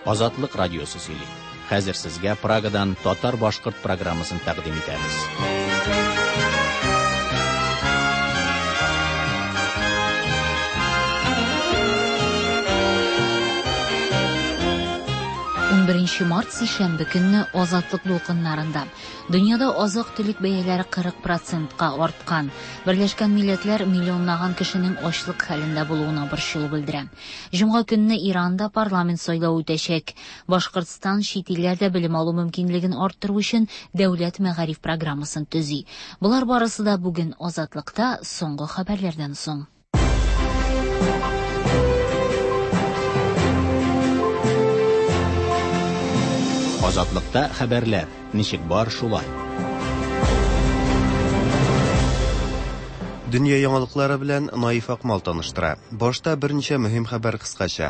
Азатлык радиосы сөйли. Хәзер сезгә Прагадан татар-башкорт программасын тәкъдим итәбез. 11 март сишәмбе көнне Азатлык дулкыннарында дөньяда азык-төлек бәяләре 40 процентка арткан. Берләшкән Милләтләр миллионлаган кешенең ачлык хәлендә булуына борчылу белдерә. Җомга көнне Иранда парламент сайлавы үтәчәк. Башкортстан чит илләрдә белем алу мөмкинлеген арттыру өчен дәүләт мәгариф программасын төзи. Болар барысы да бүген Азатлыкта соңгы хәбәрләрдән соң. Азатлыкта хәбәрләр ничек бар шулай. Дөнья яңалыклары белән Наиф Акмал таныштыра. Башта берничә мөһим хәбәр кыскача.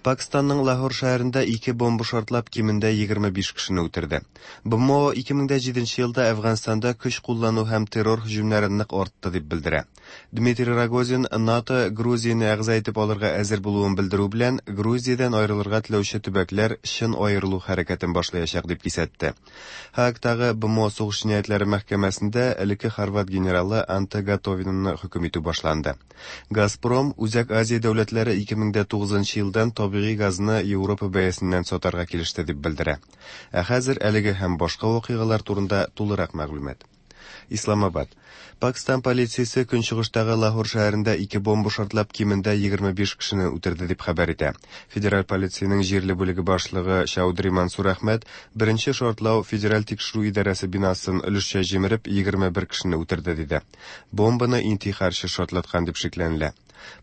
Пакистанның Лахор шәһәрендә ике бомба шартлап кимендә 25 кешене үтерде. БМО 2007 елда Әфганстанда көч куллану һәм террор һөҗүмнәре нык артты дип белдерә. Дмитрий Рогозин НАТО Грузияне әгъза итеп алырга әзер булуын белдерү белән Грузиядән аерылырга теләүче төбәкләр чын аерылу хәрәкәтен башлаячак дип кисәтте. Һаагтагы БМО сугыш җинаятьләре мәхкәмәсендә элекке хорват генералы Анте Готовинаны хөкем итү башланды. Газпром Үзәк Азия дәүләтләре 2009 елдан табигый газны Европа бәясеннән сатарга килеште дип белдерә. Ә хәзер әлеге һәм башка вакыйгалар турында тулырак мәгълүмат. Исламабад. Пакистан полициясе көнчыгыштагы Лахор шәһәрендә ике бомба шартлап кимендә 25 кешене үтерде дип хәбәр итә. Федераль полициянең җирле бүлеге башлыгы Чаудри Мансур Әхмәт беренче шартлау федераль тикшерү идарәсе бинасын өлешчә җимереп 21 кешене үтерде диде. Бомбаны интихарчы шартлаткан дип шикләнелә.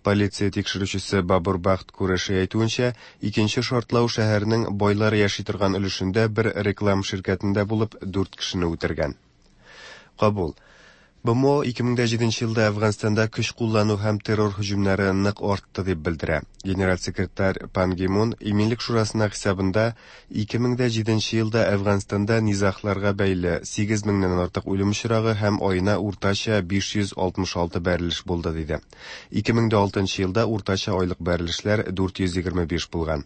Полиция тикшерүчесе Бабур Бахт Куреши әйтүенчә, икенче шартлау шәһәрнең байлар яши торган өлешендә бер реклам ширкәтендә булып, 4 кешене үтергән. Кабул. БМО 2007 елда Әфганстанда көч куллану һәм террор һөҗүмнәре нык артты дип белдерә. Генераль секретарь Пан Ги Мун Иминлек шурасына хисабында 2007 елда Әфганстанда низагларга бәйле 8 меңнән артык үлем очрагы һәм аена уртача 566 бәрелеш булды диде. 2006 елда уртача айлык бәрелешләр 425 булган.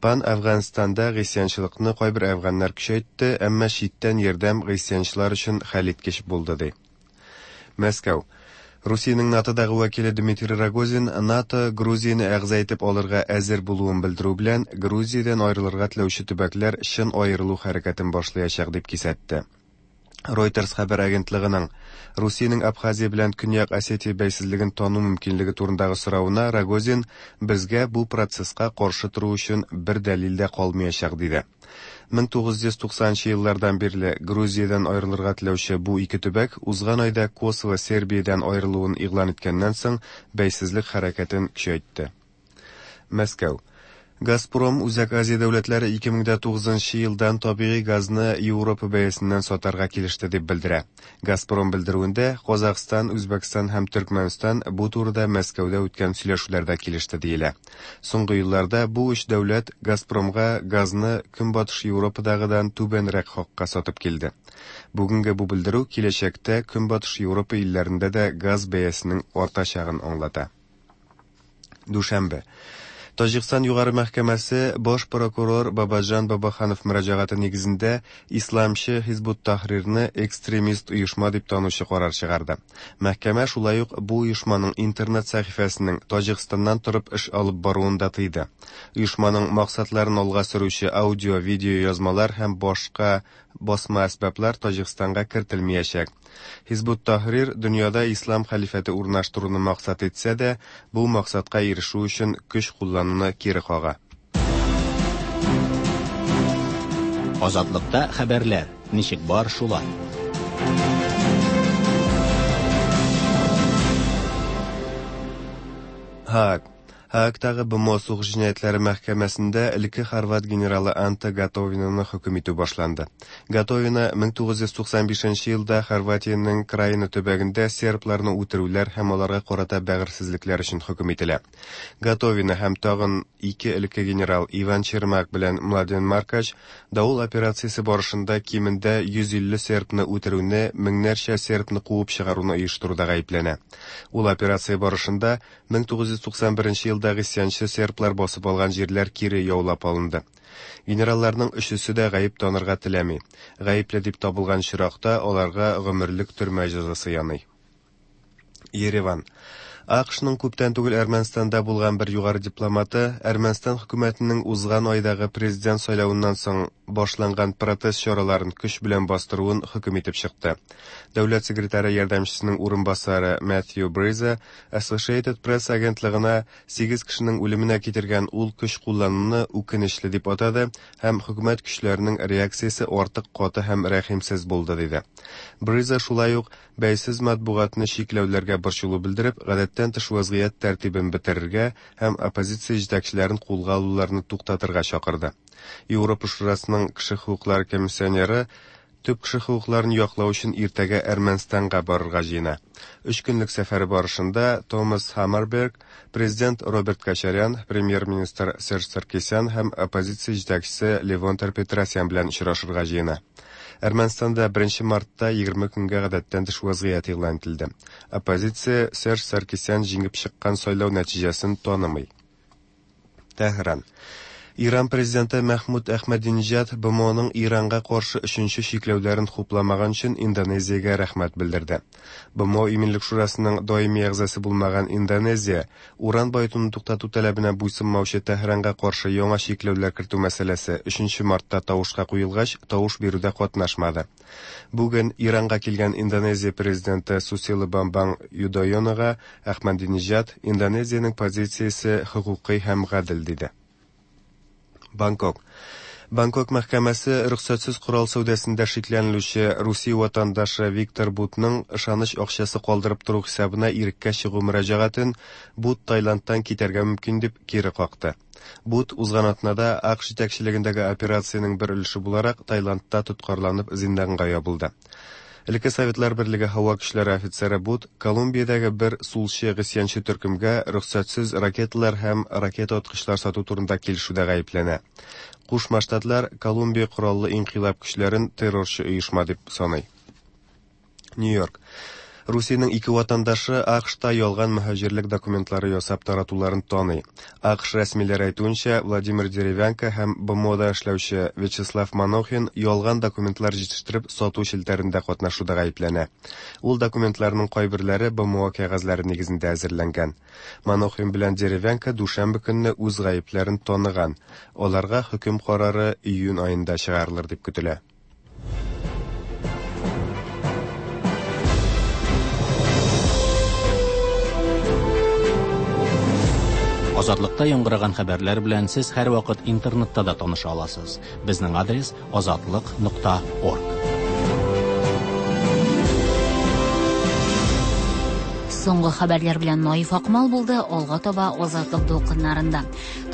Пан Әфганстанда гыйсьянчылыкны кайбер әфганнар көчәйтте, әмма читтән ярдәм гыйсьянчылар өчен хәлиткеч булды ди. Мәскәү. Русиянең НАТОдагы вәкиле Дмитрий Рогозин НАТО Грузияне әгъза итеп алырга әзер булуын белдерү белән Грузиядән аерылырга теләүче төбәкләр чын аерылу хәрәкәтен башлаячак дип кисәтте. Reuters хәбәр агентлыгының Русиянең Абхазия белән Көньяк Осетия бәйсезлеген тану мөмкинлеге турындагы соравына Рогозин безгә бу процесска каршы тору өчен бер дәлил дә калмаячак диде. 1990 еллардан бирле Грузиядән аерылырга теләүче бу ике төбәк узган айда Косово Сербиядән аерылуын игълан иткәннән соң бәйсезлек хәрәкәтен көчәйтте. Мәскәү. Газпром Үзәк Азия дәүләтләре 2009 елдан табигый газны Европа бәясеннән сатарга килеште дип белдерә. Газпром белдерүендә Казахстан, Үзбәкстан һәм Төркмәнстан бу турыда Мәскәүдә үткән сөйләшүләрдә килеште диелә. Соңгы елларда бу өч дәүләт Газпромга газны Көнбатыш Европадагыдан түбәнрәк хакка сатып килде. Бүгенге бу белдерү киләчәктә Көнбатыш Европа илләрендә дә газ бәясенең артачагын аңлата. Дүшәмбе. Таҗикстан югары мәхкәмәсе баш прокурор Бабаҗан Бабаханов мөрәҗәгате нигезендә исламчы Хизбут Тахрирны экстремист оешма дип танучы карар чыгарды. Мәхкәмә шулай ук бу оешманың интернет сәхифәсенең Таҗикстаннан торып эш алып баруын да тыйды. Оешманың максатларын алга сөрүче аудио, видео язмалар һәм башка басма әсбаплар Таҗикстанга кертелмәячәк. Хизбут Тахрир дөньяда ислам хәлифәте урнаштыруны максат итсә дә, бу максатка ирешү өчен көч куллануны кире кага. Азатлыкта хәбәрләр ничек бар шулай. Һааг. Һаагтагы БМО сугыш җинаятьләре мәхкәмәсендә элекке хорват генералы Анте Готовинаны хөкем итү башланды. Готовина 1995 елда Хорватиянең Краина төбәгендә сербларны үтерүләр һәм аларга карата бәгырьсезлекләр өчен хөкем ителә. Готовина һәм тагын ике элекке генерал Иван Чермак белән Младен Маркач Давыл операциясе барышында кимендә 150 сербны үтерүне, меңнәрчә сербны куып чыгаруны оештыруда гаепләнә. Ул операция барышында 1991 елда гыйсьянчы серблар басып алган җирләр кире яулап алынды. Генералларның өчесе дә гаеп танырга теләми. Гаепле дип табылган очракта аларга гомерлек төрмә җәзасы яный. Ереван. АКШның күптән түгел Әрмәнстанда булган бер югары дипломаты Әрмәнстан хөкүмәтенең узган айдагы президент сайлавыннан соң башланган протест чараларын көч белән бастыруын хөкем итеп чыкты. Дәүләт секретаре ярдәмчесенең урынбасары Matthew Бриза Associated Press агентлыгына 8 кешенең үлеменә китергән ул көч куллануны үкенечле дип атады һәм хөкүмәт көчләренең реакциясе артык каты һәм рәхимсез булды диде. Бриза шулай ук бәйсез матбугатны чикләүләргә борчылу белдереп, гадәттән тыш вазгыять тәртибен бетерергә һәм оппозиция җитәкчеләрен кулга алуларны туктатырга чакырды. Европа Шурасының кеше хокуклары комиссионеры төп кеше хокукларын яклау өчен иртәгә Әрмәнстанга барырга җыена. Өч көнлек сәфәре барышында Томас Хаммерберг, президент Роберт Кочарян, премьер-министр Серж Саркисян һәм оппозиция җитәкчесе Левон Тер-Петросян белән очрашырга җыена. Әрмәнстанда 1 мартта 20 көнгә гадәттән тыш вазгыять игълан ителде. Оппозиция Серж Саркисян җиңеп чыккан сайлау нәтиҗәсен танымый. Тәһран. Иран президенты Мәхмүд Әхмәдинҗад БМОның Иранга каршы өченче чикләүләрен хупламаган өчен Индонезиягә рәхмәт белдерде. БМО Иминлек шурасының даими әгъзасы булмаган Индонезия уран баетуны туктату таләбенә буйсынмаучы Тәһранга каршы яңа чикләүләр кертү мәсьәләсе 3 мартта тавышка куелгач, тавыш бирүдә катнашмады. Бүген Иранга килгән Индонезия президенты Сусило Бамбанг Юдойонога Әхмәдинҗад Индонезиянең позициясе хокукый һәм гадел диде. Бангкок. Бангкок мәхкәмәсе рөхсәтсез корал сәүдәсендә шикләнелүче Русия ватандашы Виктор Бутның ышаныч акчасы калдырып тору хисабына иреккә чыгу мөрәҗәгатен Бут Таиландтан китәргә мөмкин дип кире какты. Бут узган атнада АКШ җитәкчелегендәге операциянең бер өлеше буларак Таиландта тоткарланып зинданга ябылды. Элекке Советлар Берлеге һава көчләре офицеры Бут Колумбиядәге бер сулчы гыйсьянчы төркемгә рөхсәтсез ракеталар һәм ракета аткычлар сату турында килешүдә гаепләнә. Кушма Штатлар Колумбия кораллы инкыйлаб көчләрен террорчы оешма дип саный. Нью-Йорк. Русиянең ике ватандашы АКШта ялган мөһаҗирлек документлары ясап таратуларын таный. АКШ рәсмиләре әйтүенчә, Владимир Деревянко һәм БМОда эшләүче Вячеслав Манохин ялган документлар җитештереп сату челтәрендә катнашуда гаепләнә. Ул документларның кайберләре БМО кәгазьләре нигезендә әзерләнгән. Манохин белән Деревянко дүшәмбе көнне үз гаепләрен таныган. Аларга хөкем карары июнь аенда чыгарылыр дип көтелә. Азатлыкта яңгыраган хәбәрләр белән сез һәрвакыт интернетта да таныша аласыз. Безнең адрес azatliq.org. Соңгы хәбәрләр белән Наиф Акмал булды, алга таба Азатлык дулкыннарында.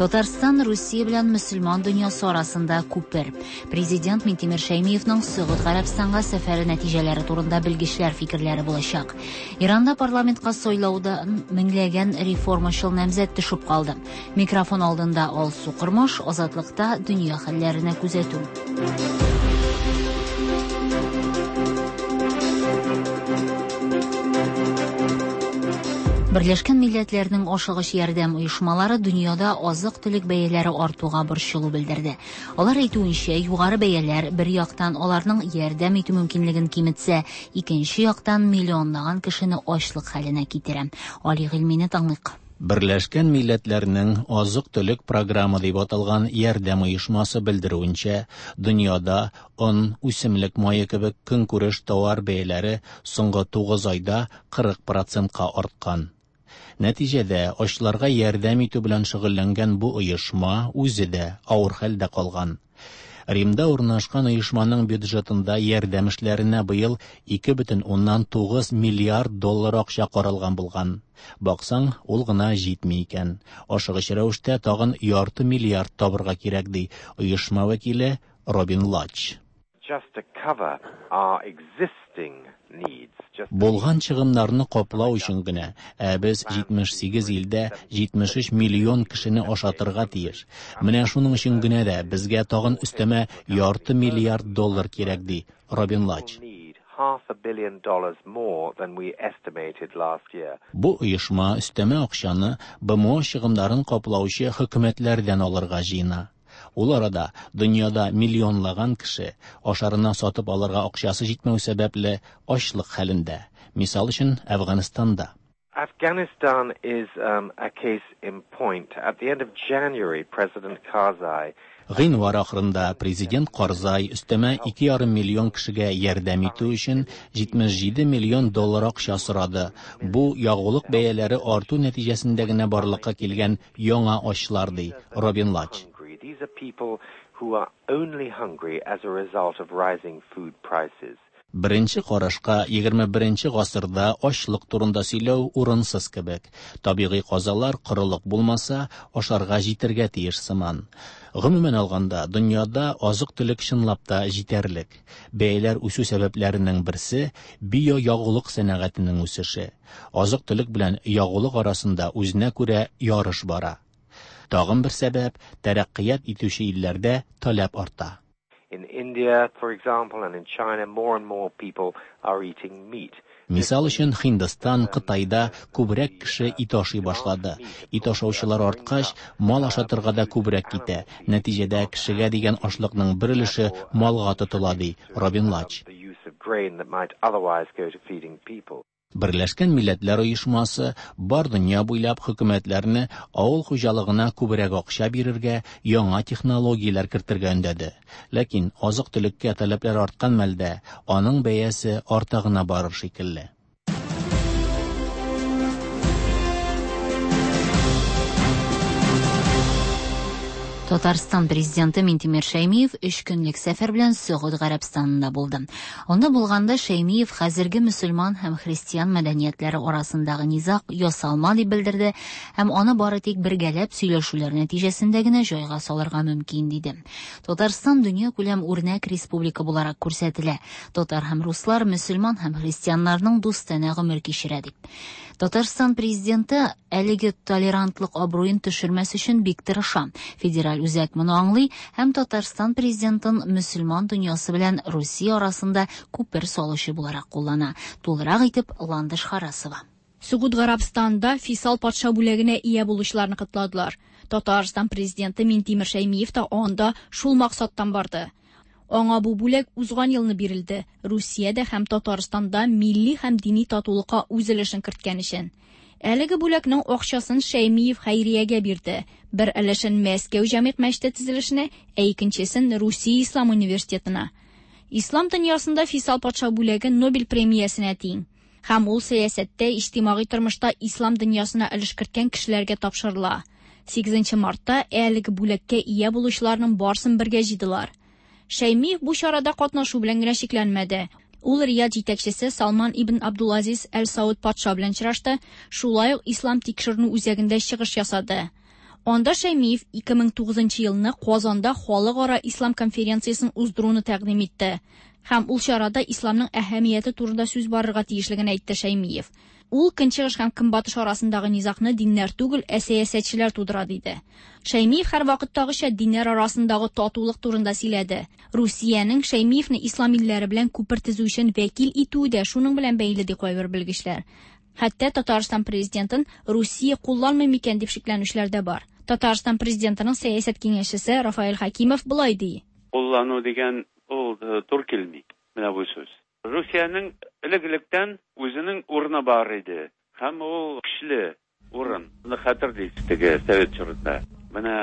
Татарстан Русия белән мөселман дөньясы арасында күпер. Президент Минтимер Шәймиевның Сөгуд Гарәбстанга сәфәре нәтиҗәләре турында белгечләр фикерләре булачак. Иранда парламентка сайлауда меңләгән реформачыл намзәт төшеп калды. Микрофон алдында Алсу Кормаш, Азатлыкта дөнья хәлләренә күзәтү. Берләшкән Милләтләрнең ашыгыч ярдәм оешмалары дөньяда азык-төлек бәяләре артуга борчылу белдерде. Алар әйтүенчә, югары бәяләр бер яктан аларның ярдәм итү мөмкинлеген киметсә, икенче яктан миллионлаган кешене ачлык хәленә китерә. Али Гыйльмине тыңлыйк. Берләшкән Милләтләрнең азык-төлек программы дип аталган ярдәм оешмасы белдерүенчә, дөньяда он, үсемлек мае кебек көнкүреш товар бәяләре соңгы 9 айда 40%-ка арткан. Нәтиҗәдә ачларга ярдәм итү белән шөгыльләнгән бу оешма үзе дә авыр хәлдә калган. Римда урнашкан оешманың бюджетында ярдәм эшләренә быел 2,9 миллиард доллар акча каралган булган. Баксаң, ул гына җитми икән. Ашыгыч рәвештә тагын ярты миллиард табырга кирәк, ди оешма вәкиле Робин Лач. Just to cover our existing needs. Just Булган чыгымнарны каплау өчен генә, ә без 78 илдә 73 миллион кешене ашатырга тиеш. Менә шуның өчен генә дә безгә тагын өстәмә ярты миллиард доллар кирәк, ди Робин Лач. need Half a billion dollars more than we estimated last year. Бу оешма өстәмә акчаны БМО чыгымнарын каплаучы хөкүмәтләрдән алырга җыена. Ул арада дөньяда миллионлаган кеше ашарына сатып алырга акчасы җитмәү сәбәпле ачлык хәлендә. Мисал өчен, Әфганстанда. Afghanistan is a case in point. At the end of January, President Karzai Гыйнвар ахырында президент Карзай өстәмә 2,5 миллион кешегә ярдәм итү өчен 77 миллион доллар акча сорады. Бу ягулык бәяләре арту нәтиҗәсендә генә барлыкка килгән яңа ачлар, ди Робин Лач. These are people who are only hungry as a result of rising food prices. Беренче карашка 21 гасырда ачлык турында сөйләү урынсыз кебек. Табигый казалар, корылык булмаса, ашарга җитәргә тиеш сыман. Гомумән алганда, дөньяда азык-төлек чынлап та җитәрлек. Бәяләр үсү сәбәпләренең берсе биоягулык сәнәгатенең үсеше. Азык-төлек белән ягулык арасында үзенә күрә ярыш бара. Тагын бер сәбәп тәрәккыят итүче илләрдә таләп арта. In India, for example, and in China, more and more people are eating meat. Мисал өчен, Һиндстан, Кытайда күбрәк кеше ит ашый башлады. Ит ашаучылар арткач, мал ашатырга да күбрәк китә. Нәтиҗәдә кешегә дигән ашлыкның бер өлеше малга тотыла, ди Робин Лач. The use of grain that might otherwise go to feeding people. Берләшкән Милләтләр Оешмасы бар дөнья буйлап хөкүмәтләрне авыл хуҗалыгына күбрәк акча бирергә, яңа технологияләр кертергә өндәде. Ләкин азык-төлеккә таләпләр арткан мәлдә аның бәясе арта гына барыр шикелле. Татарстан президенты Минтимер Шәймиев өч көнлек сәфәр белән Сөгуд Гарәбстанында булды. Анда булганда Шәймиев хәзерге мөселман һәм христиан мәдәниятләре арасындагы низаг ясалма дип белдерде һәм аны бары тик бергәләп сөйләшүләр нәтиҗәсендә генә җайга салырга мөмкин диде. Татарстан дөньякүләм үрнәк республика буларак күрсәтелә. Татар һәм руслар мөселман һәм христианнарның дустанә гомер кичерә дип. Татарстан президенты әлеге толерантлык абруен төшермәс өчен бик тырыша. Федераль үзәк моны аңлый һәм Татарстан президентын мөселман дөньясы белән Русия арасында күпер салучы буларак куллана. Тулырак итеп Ландыш Харасова. Сөгуд Гарәбстанда Фисал патша бүләгенә ия булучыларны котладылар. Татарстан президенты Минтимер Шәймиев та анда шул максаттан барды. Аңа бу бүләк узган елны бирелде. Русиядә һәм Татарстанда милли һәм дини татулыкка үз өлешен керткән өчен. Әлеге бүләкнең акчасын Шәймиев хәйриягә бирде. Бер өлешен Мәскәү җәмигъ мәчете төзелешенә, ә икенчесен Русия ислам университетына. Ислам дөньясында Фисал патша бүләге Нобель премиясенә тиң. Һәм ул сәясәттә, иҗтимагый тормышта ислам дөньясына өлеш керткән кешеләргә тапшырыла. 8 мартта әлеге бүләккә ия булучыларның барсын бергә җыйдылар. Шәймиев бу чарада катнашу белән генә чикләнмәде. Ул Рияд җитәкчесе Салман ибн Абдулазиз Әл-Сауд патша белән очрашты, шулай ук Ислам тикшеренү үзәгендә чыгыш ясады. Анда Шәймиев 2009 елны Казанда халыкара ислам конференциясен уздыруны тәкъдим итте. Һәм ул чарада исламның әһәмияте турында сүз барырга тиешлеген әйтте Шәймиев. Ул көнчыгыш һәм көнбатыш арасындагы низагны диннәр түгел, ә сәясәтчеләр тудыра диде. Шәймиев һәрвакыттагыча диннәр арасындагы татулык турында сөйләде. Русиянең Шәймиевне ислам илләре белән күпер төзү өчен вәкил итүе дә шуның белән бәйле ди кайбер белгечләр. Хәтта Татарстан президентын Русия кулланмый микән дип шикләнүчеләр дә бар. Татарстан президентының сәясәт киңәшчесе Рафаэль Хәкимов болай ди. Куллану дигән ул тур килми. Менә бу сүз. Русиянең элек-электән үзенең урыны бар иде. Һәм ул көчле урын. Моны хәтерлисез теге совет чорында. Менә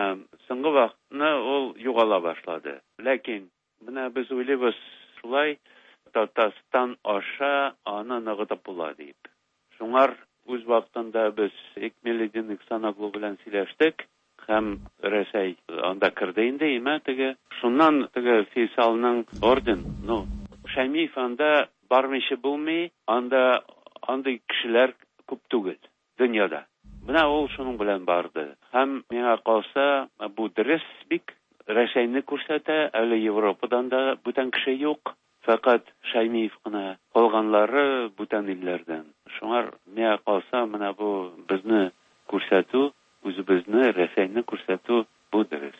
соңгы вакытны ул югала башлады. Ләкин менә без уйлыйбыз шулай Татарстан аша аны ныгытып була дип. Шуңар үз вакытында без Экмеледин Иксаноглу белән сөйләштек һәм Рәсәй анда керде инде, имә теге. Шуннан теге Фейсалның орден, ну, Шәймиев анда бармыйча булмый, анда андый кешеләр күп түгел дөньяда. Менә ул шуның белән барды. Һәм миңа калса, бу дөрес бик Рәсәйне күрсәтә, әле Европадан да бүтән кеше юк. Фәкать Шәймиев кына, калганнары бүтән илләрдән. Шуңар миңа калса, менә бу безне күрсәтү, үзебезне, Рәсәйне күрсәтү бу дөрес.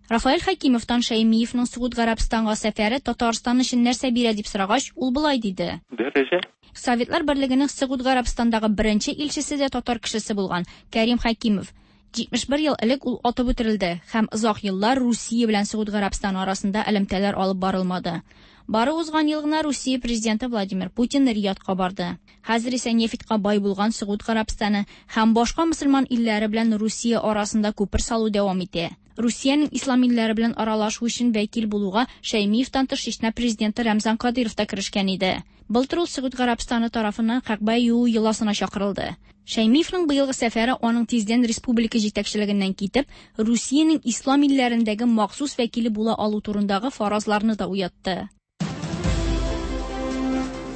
Рафаэль Хәкимовтан Шәймиевның Согуд Гарәбстанга сәфәре Татарстан өчен нәрсә бирә дип сорагач, ул болай диде. Дәрәҗә. Советлар Берлегенең Согуд Гарәбстандагы беренче илчесе дә татар кешесе булган, Кәрим Хәкимов. 71 ел элек ул атып үтерелде һәм озак еллар Русия белән Согуд Гарәбстаны арасында элемтәләр алып барылмады. Бары узган ел гына Русия президенты Владимир Путин Риядка барды. Хәзер исә нефтька бай булган Согуд Гарәбстаны һәм башка мөселман илләре белән Русия арасында күпер салу дәвам итә. Русиянең ислам илләре белән аралашу өчен вәкил булуга Шәймиевтан тыш Чечня президенты Рамзан Кадыйров та керешкән иде. Былтыр ул Согуд Гарәбстаны тарафыннан Кәгъбә юу йоласына чакырылды. Шәймиевның быелгы сәфәре аның тиздән республика җитәкчелегеннән китеп, Русиянең ислам илләрендәге махсус вәкиле була алу турындагы фаразларны да уятты.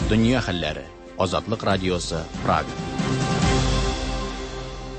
Дөнья хәлләре. Азатлык радиосы, Прага.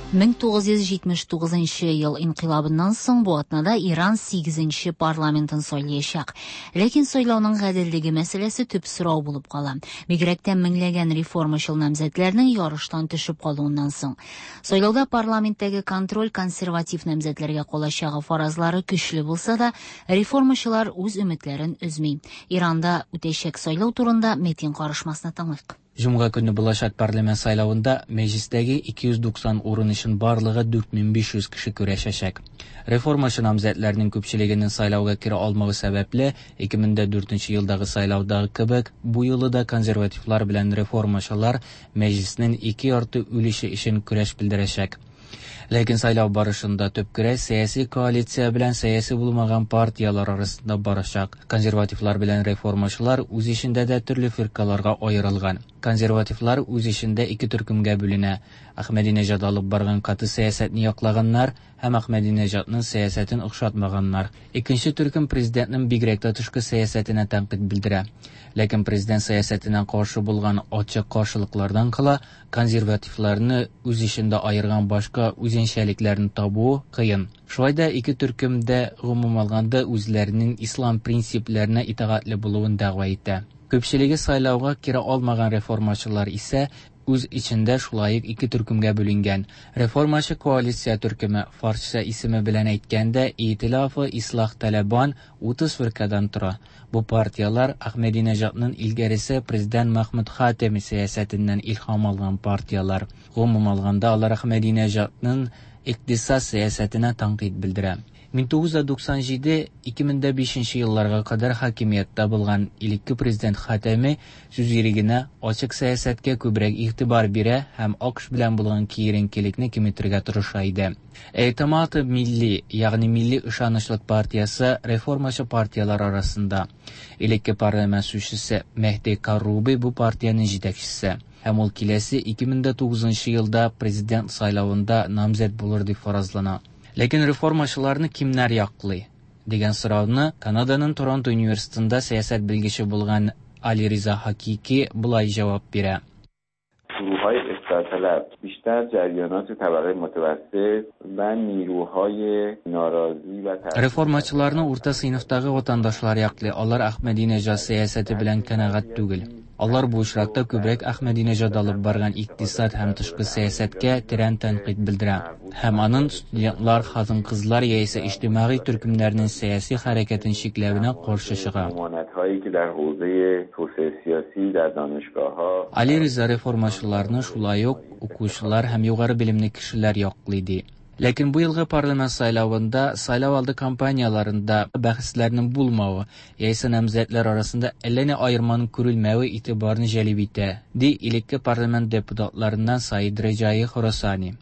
1979 ел инкыйлабыннан соң бу атнада Иран 8 парламентын сайлаячак. Ләкин сайлауның гаделлеге мәсьәләсе төп сорау булып кала. Бигрәк тә меңләгән реформачыл намзәтләрнең ярыштан төшеп калуыннан соң. Сайлауда парламенттәге контроль консерватив намзәтләргә калачагы фаразлары көчле булса да, реформачылар үз өметләрен өзми. Иранда үтәчәк сайлау турында Метин карышмасына тыңлыйк. Җомга көнне булачак парламент сайлавында мәҗлистәге 290 урын өчен барлыгы 4500 кеше көрәшәчәк. Реформачы намзәтләрнең күпчелегенең сайлауга керә алмавы сәбәпле, 2004 елдагы сайлаудагы кебек, бу юлы да консервативлар белән реформачылар мәҗлиснең ике ярты өлеше өчен көрәш белдерәчәк. Ләкин сайлау барышында төп көрәш сәяси коалиция белән сәяси булмаган партияләр арасында барачак. Консервативлар белән реформачылар үз эчендә дә төрле фиркаларга аерылган. Консервативлар үз эчендә ике төркемгә бүленә. Әхмәдинежад алып барган каты сәясәтне яклаганнар һәм Әхмәдинежадның сәясәтен охшатмаганнар. Икенче төркем президентның бигрәк тә тышкы сәясәтенә тәнкыйть белдерә. Ләкин президент сәясәтенә каршы булган ачык каршылыклардан кала консервативларны үз эчендә аерган башка үзенчәлекләрне табуы кыен. Шулай да ике төркем дә гомум алганда үзләренең ислам принципләренә итагатьле булуын дәгъва итә. Күпчелеге сайлауга керә алмаган реформачылар исә үз эчендә шулай ук ике төркемгә бүленгән. Реформачы коалиция төркеме, фарсча исеме белән әйткәндә, Итилафы Ислах Талабан 30 фиркадан тора. Бу партияләр Әхмәдинежадның илгәресе президент Махмуд Хатеми сәясәтеннән илһам алган партияләр. Гомум алганда алар Әхмәдинежадның икътисад сәясәтенә тәнкыйть белдерә. 1997-2005 елларга кадәр хакимияттә булган элекке президент Хатами сүз ирегенә, ачык сәясәткә күбрәк игътибар бирә һәм АКШ белән булган киеренкелекне киметергә тырыша иде. Эътимад милли, ягъни милли ышанычлык партиясе реформачы партияләр арасында. Элекке парламент сүзчесе Мehdi Карруби бу партиянең җитәкчесе һәм ул киләсе 2009 елда президент сайлавында намзәт булыр дип фаразлана. Ләкин реформачыларны кимнәр яклый? Дигән сорауны Канаданың Торонто университетында сәясәт белгече булган Али Риза Хакики болай җавап бирә. گروه‌های اصلاح بیشتر جریانات طبقه متوسط و نیروهای ناراضی و Реформачыларны урта сыйныфтагы ватандашлар яклый. Алар Әхмәдинежад сәясәте белән канәгать түгел. Алар бу очракта күбрәк Әхмәдинежад алып барган икътисад һәм тышкы сәясәткә тирән тәнкыйть белдерә. Һәм аның студентлар, хатын-кызлар яисә иҗтимагый төркемнәрнең сәяси хәрәкәтен чикләвенә каршы чыга. ضمانت‌هایی که در حوزه توسعه سیاسی در دانشگاه‌ها Али Риза реформачыларны шулай ук укучылар һәм югары белемле кешеләр яклый ди. Ләкин бу елгы парламент сайлавында сайлау алды кампанияләрендә бәхәсләрнең булмавы яисә намзәтләр арасында әллә ни аерманың күрелмәве игътибарны җәлеп итә, ди элекке парламент депутатларыннан Саид Реҗаи Хорасани.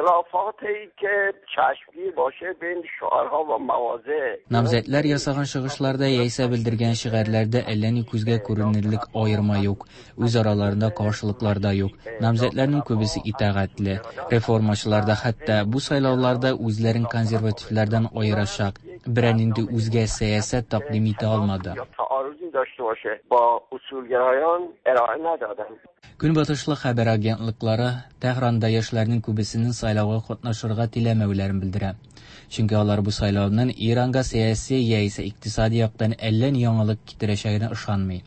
اختلافاتی که چشمگیر باشه بین شعارها و مواضع Намзәтләр ясаган чыгышларда яисә белдергән шигарьләрдә әллә ни күзгә күренерлек аерма юк, үз араларында каршылыклар да юк. Намзәтләрнең күбесе итагатьле. Реформачылар да хәтта бу сайлауларда үзләрен консервативлардан аерачак берәр нинди үзгә сәясәт тәкъдим итә алмады. یا تعارضی داشته باشه با اصولگرایان ارائه ندادن. Көнбатышлы хәбәр агентлыклары Тәһранда яшьләрнең күбесенең сайлауга катнашырга теләмәүләрен белдерә. Чөнки алар бу сайлауның Иранга сәяси яисә икътисади яктан әллә ни яңалык китерәчәгенә ышанмый.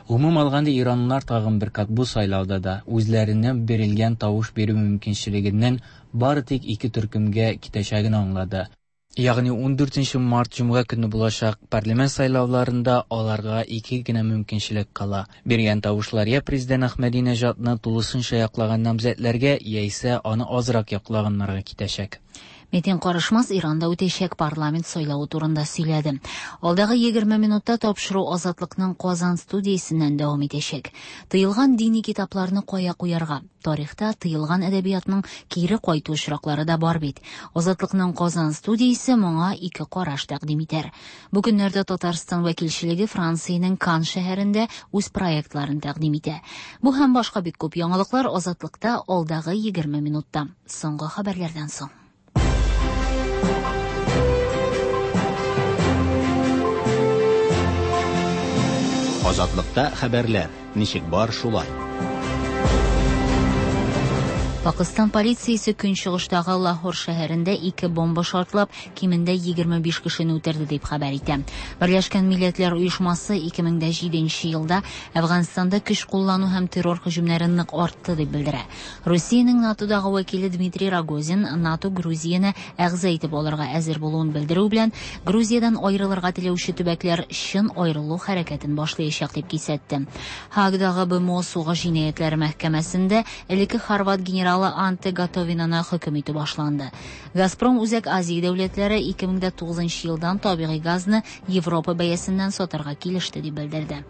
Гомум алганда иранлылар тагын бер кат бу сайлауда да үзләренә бирелгән тавыш бирү мөмкинчелегеннән бары тик ике төркемгә китәчәген аңлады. Ягъни 14 март җомга көнне булачак парламент сайлауларында аларга ике генә мөмкинчелек кала. Биргән тавышлар я президент Әхмәдинәҗадны тулысынча яклаган намзәтләргә, яисә аны азрак яклаганнарга китәчәк. Метин Карышмас Иранда үтәчәк парламент сайлавы турында сөйләде. Алдагы 20 минутта тапшыру Азатлыкның Казан студиясеннән дәвам итәчәк. Тыелган дини китапларны кая куярга? Тарихта тыелган әдәбиятның кире кайту очраклары да бар бит. Азатлыкның Казан студиясе моңа ике караш тәкъдим итәр. Бу көннәрдә Татарстан вәкилчелеге Франциянең Кан шәһәрендә үз проектларын тәкъдим итә. Бу һәм башка бик күп яңалыклар Азатлыкта алдагы 20 минутта. Соңгы хәбәрләрдән соң. Азатлыкта хәбәрләр. Ничек бар шулай. Пакыстан полициясе көнчыгыштагы Лахор шәһәрендә ике бомба шартлап, кимендә 25 кешене үтерде дип хәбәр итә. Берләшкән Милләтләр Оешмасы 2007 елда Әфганстанда көч куллану һәм террор һөҗүмнәре нык артты дип белдерә. Русиянең НАТОдагы вәкиле Дмитрий Рогозин НАТО Грузияне әгъза итеп алырга әзер булуын белдерү белән Грузиядән аерылырга теләүче төбәкләр чын аерылу хәрәкәтен башлаячак дип кисәтте. Һаагадагы БМО сугыш җинаятьләре мәхкәмәсендә элекке хорват генералы Анте Готовинаны хөкем итү башланды. Газпром Үзәк Азия дәүләтләре 2009 елдан табигый газны Европа бәясеннән сатарга килеште дип белдерде.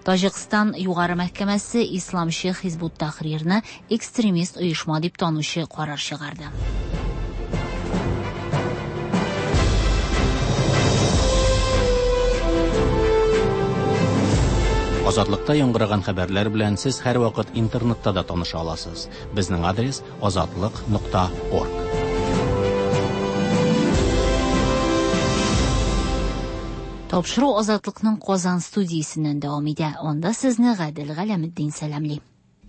Таҗикстан югары мәхкәмәсе исламчы Хизбут Тахрирны экстремист оешма дип танучы карар чыгарды. Азатлыкта яңгыраган хәбәрләр белән сез һәрвакыт интернетта да таныша аласыз. Безнең адрес azatliq.org. Тапшыру Азатлыкның Казан студиясеннән дәвам итә. Анда сезне Гадел Галәметдин сәламли.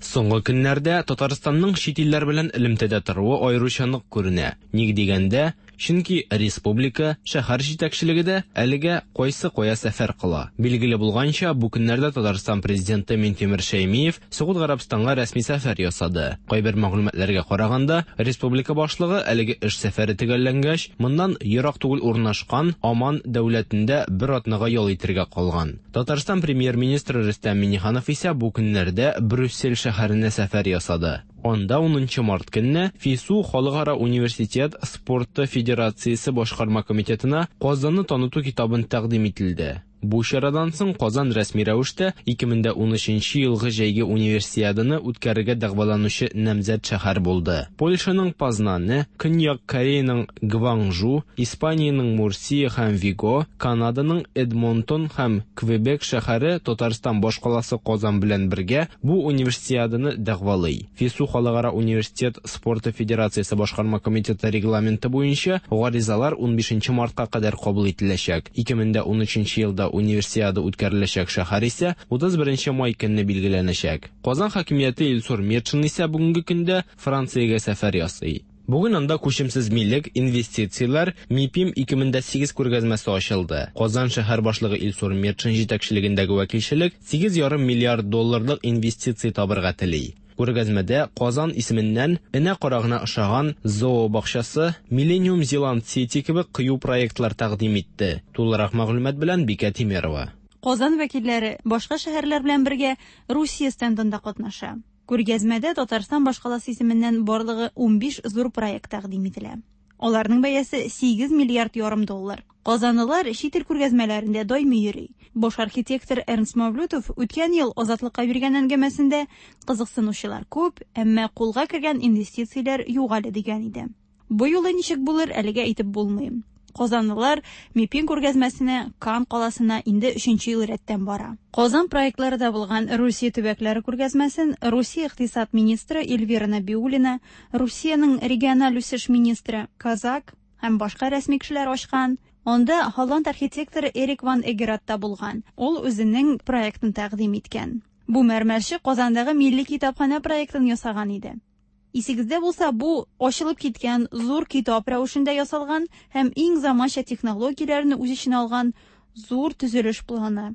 Соңгы көннәрдә Татарстанның чит илләр белән элемтәдә торуы аеруча нык күренә. Ник дигәндә, чөнки республика, шәһәр җитәкчелеге дә әлегә кайсы кая сәфәр кыла. Билгеле булганча, бу көннәрдә Татарстан президенты Минтимер Шәймиев Согуд Гарәбстанга рәсми сәфәр ясады. Кайбер мәгълүматларга караганда, республика башлыгы әлеге эш сәфәре төгәлләнгәч, моннан ерак түгел урнашкан Оман дәүләтендә бер атнага ял итәргә калган. Татарстан премьер-министры Рөстәм Миңнеханов исә бу көннәрдә Брюссель шәһәренә сәфәр ясады. Анда 10 март көнне ФИСУ Халыкара университет спорты федерациясе башкарма комитетына Казанны таныту китабын тәкъдим ителде. Бу чарадан соң Казан рәсми рәвештә 2013 елгы җәйге универсиаданы үткәрергә дәгъваланучы намзәт шәһәр булды. Польшаның Познаны, Көньяк Кореяның Гванжу, Испаниянең Мурсия һәм Виго, Канаданың Эдмонтон һәм Квебек шәһәре Татарстан башкаласы Казан белән бергә бу универсиаданы дәгъвалый. ФИСУ Халыкара университет спорты федерациясе башкарма комитеты регламенты буенча гаризалар 15 мартка кадәр кабул ителәчәк. 2013 елда универсиада үткәреләчәк шәһәр исә 31 май көнне билгеләнәчәк. Казан хакимияте Илсур Метшин исә бүгенге көндә Франциягә сәфәр ясый. Бүген анда күчемсез милек, инвестицияләр МИПИМ 2008 күргәзмәсе ачылды. Казан шәһәр башлыгы Илсур Метшин җитәкчелегендәге вәкилчелек 8,5 миллиард долларлык инвестиция табырга тели. Күргәзмәдә Казан исеменнән энә карагына ошаган зообакчасы, Millennium Zealand City кебек кыю проектлар тәкъдим итте. Тулырак мәгълүмат белән Бикә Тимерова. Казан вәкилләре башка шәһәрләр белән бергә Русия стендында катнаша. Күргәзмәдә Татарстан башкаласы исеменнән барлыгы 15 зур проект тәкъдим ителә. Аларның бәясе 8 миллиард ярым доллар. Казанлылар чит ил күргәзмәләрендә даими йөри. Баш архитектор Эрнст Мавлютов үткән ел Азатлыкка биргән әңгәмәсендә кызыксынучылар күп, әмма кулга кергән инвестицияләр юк әле дигән иде. Бу юлы ничек булыр, әлегә әйтеп булмый. Казанлылар МИПИМ күргәзмәсенә Кан каласына инде 3 ел рәттән бара. Казан проектлары да булган Русия төбәкләре күргәзмәсен Русия икътисад министры Эльвира Набиуллина, Русиянең региональ үсеш министры Казак һәм башка рәсми кешеләр ачкан. Анда Холланд архитекторы Эрик ван Эгерат та булган. Ул үзенең проектын тәкъдим иткән. Бу мәрмәрче Казандагы милли китапханә проектын ясаган иде. Исегездә булса, бу ачылып киткән зур китап рәвешендә ясалган һәм иң заманча технологияләрне үз эченә алган зур төзелеш планы.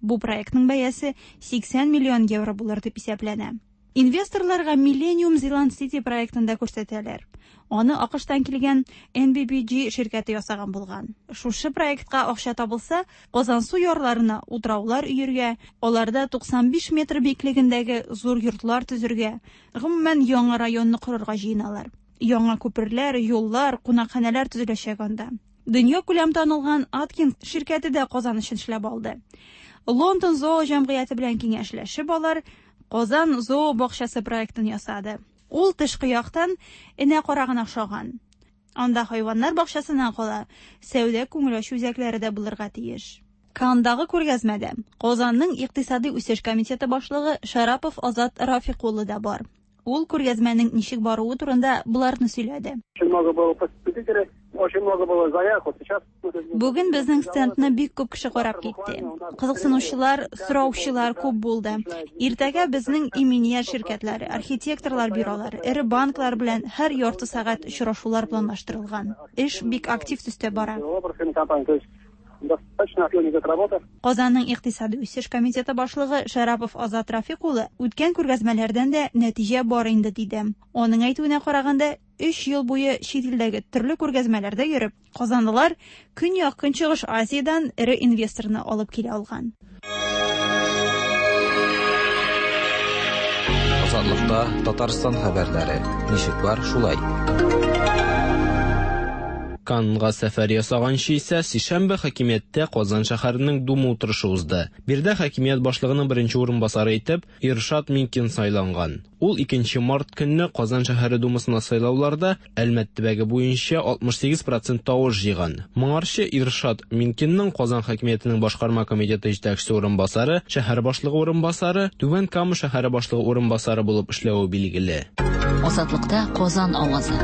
Бу проектның бәясе 80 миллион евро булыр дип исәпләнә. Инвесторларга Millennium Zealand City проектын да күрсәтәләр. Аны АКШтан килгән NBBG ширкәте ясаган булган. Шушы проектка акча табылса, Казансу ярларына утраулар өергә, аларда 95 метр биеклегендәге зур йортлар төзергә, гомумән, яңа районны корырга җыеналар. Яңа күперләр, юллар, кунакханәләр төзеләчәк анда. Дөньякүләм танылган Аткинс ширкәте дә Казан өчен эшләп алды. Лондон зоо җәмгыяте белән киңәшләшеп алар Казан зоо бакчасы проектын ясады. Ул тышкы яктан энә карагына охшаган. Анда хайваннар бакчасыннан кала, сәүдә-күңел ачу үзәкләре дә булырга тиеш. Кандагы күргәзмәдә Казанның икътисадый үсеш комитеты башлыгы Шарапов Азат Рафик улы да бар. Ул күргәзмәнең ничек баруы турында боларны сөйләде. Очень много было посетителей, очень много было заявок. Вот сейчас Бүген безнең стендны бик күп кеше карап китте. Кызыксынучылар, сораучылар күп булды. Иртәгә безнең иминият ширкәтләре, архитекторлар бюролары, эре банклар белән һәр ярты сәгать очрашулар планлаштырылган. Эш бик актив төстә бара. Достаточно активно идет работа. Казанның икътисадый үсеш комитеты башлыгы Шәрапов Азат Рафик улы үткән күргәзмәләрдән дә нәтиҗә бар инде диде. Аның әйтүенә караганда, өч ел буе чит илдәге төрле күргәзмәләрдә йөреп, казанлылар Көньяк-Көнчыгыш Азиядән эре инвесторны алып килә алган. Азатлыкта Татарстан хәбәрләре. Ничек бар, шулай. Каннга сәфәр ясаганчы исә сишәмбе хакимияттә Казан шәһәренең Дума утырышы узды. Биредә хакимият башлыгының беренче урынбасары итеп Иршат Минкин сайланган. Ул 2 март көнне Казан шәһәре Думасына сайлауларда Әлмәт төбәге буенча 68% тавыш җыйган. Моңарчы Иршат Минкинның Казан хакимиятенең башкарма комитеты җитәкчесе урынбасары, шәһәр башлыгы урынбасары, Түбән Кама шәһәре башлыгы урынбасары булып эшләве билгеле. Азатлыкта Казан авазы.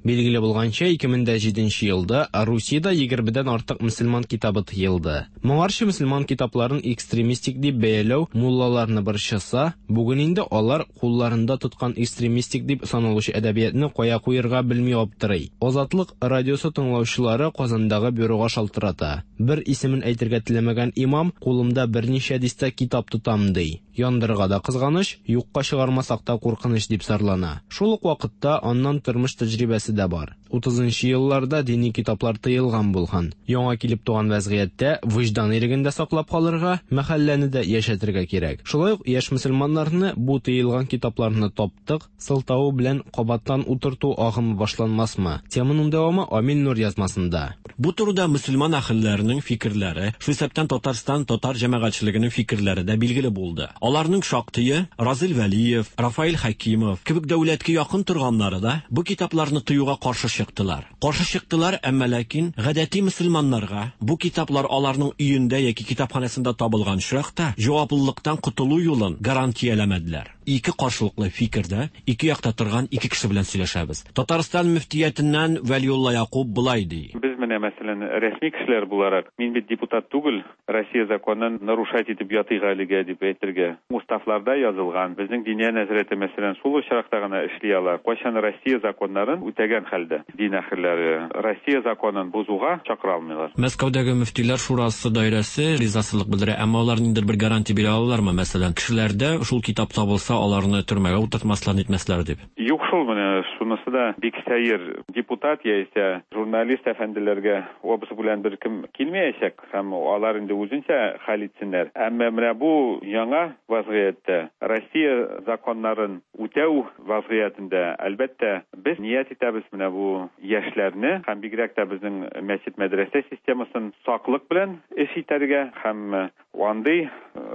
Билгеле булганча, 2007 елда Русиядә 20дән артык мөселман китабы тыелды. Моңарчы мөселман китапларын экстремистик дип бәяләү муллаларны борчыса, бүген инде алар кулларында тоткан экстремистик дип саналучы әдәбиятны кая куерга белми аптырый. Азатлык радиосы тыңлаучылары Казандагы бюрога шалтырата. Бер исемен әйтергә теләмәгән имам, кулымда берничә дистә китап тотам, ди. Яндырырга да кызганыч, юкка чыгармасак та куркыныч дип зарлана. Шул ук вакытта аннан тормыш тәҗрибәсе дә бар. 30 елларда дини китаплар тыелган булган. Яңа килеп туган вәзгыятьтә вөҗдан иреген дә саклап калырга, мәхәлләне дә яшәтергә кирәк. Шулай ук яшь мөселманнарны бу тыелган китапларны таптык сылтавы белән кабаттан утырту агымы башланмасмы? Теманың дәвамы Амил Нур язмасында. Бу турыда мөселман әһелләренең фикерләре, шул исәптән Татарстан татар җәмәгатьчелегенең фикерләре дә билгеле булды. Аларның шактые Разил Вәлиев, Рафаэль Хәкимов кебек дәүләткә якын торганнары да бу китапларны тыюга каршы чыктылар. Каршы чыктылар, әмма ләкин гадәти мөселманнарга бу китаплар аларның өендә яки китапханәсендә табылган очракта җаваплылыктан котылу юлын гарантияләмәделәр. Ике каршылыклы фикердә, ике якта торган ике кеше белән сөйләшәбез. Татарстан мөфтиятеннән Вәлиулла Якуб болай ди. Без менә, мәсәлән, рәсми кешеләр буларак, мин бит депутат түгел, Россия законын нарушать итеп ятыйк әлегә дип әйтергә. Уставларда язылган, безнең Диния нәзарәте, мәсәлән, шул очракта гына эшли ала, кайчан Россия законнарын үтәгән хәлдә. Дин әһелләре Россия законын бозуга чакыра алмыйлар. Мәскәүдәге мөфтиләр шурасы даирәсе ризасызлык белдерә, әмма алар ниндидер бер гарантия бирә алалармы, мәсәлән, кешеләрдә шул китап табылса, аларны төрмәгә утыртмаслар, нитмәсләр дип? Юк шул, менә шунысы да бик сәер. Депутат яисә журналист әфәнделәргә обыск белән беркем килмәячәк һәм алар инде үзенчә хәл итсеннәр. Әмма менә бу яңа вазгыятьтә, Россия законнарын үтәү вазгыятендә, әлбәттә, без ният итәбез менә бу яшьләрне һәм бигрәк тә безнең мәчет-мәдрәсә системасын саклык белән эш итәргә һәм андый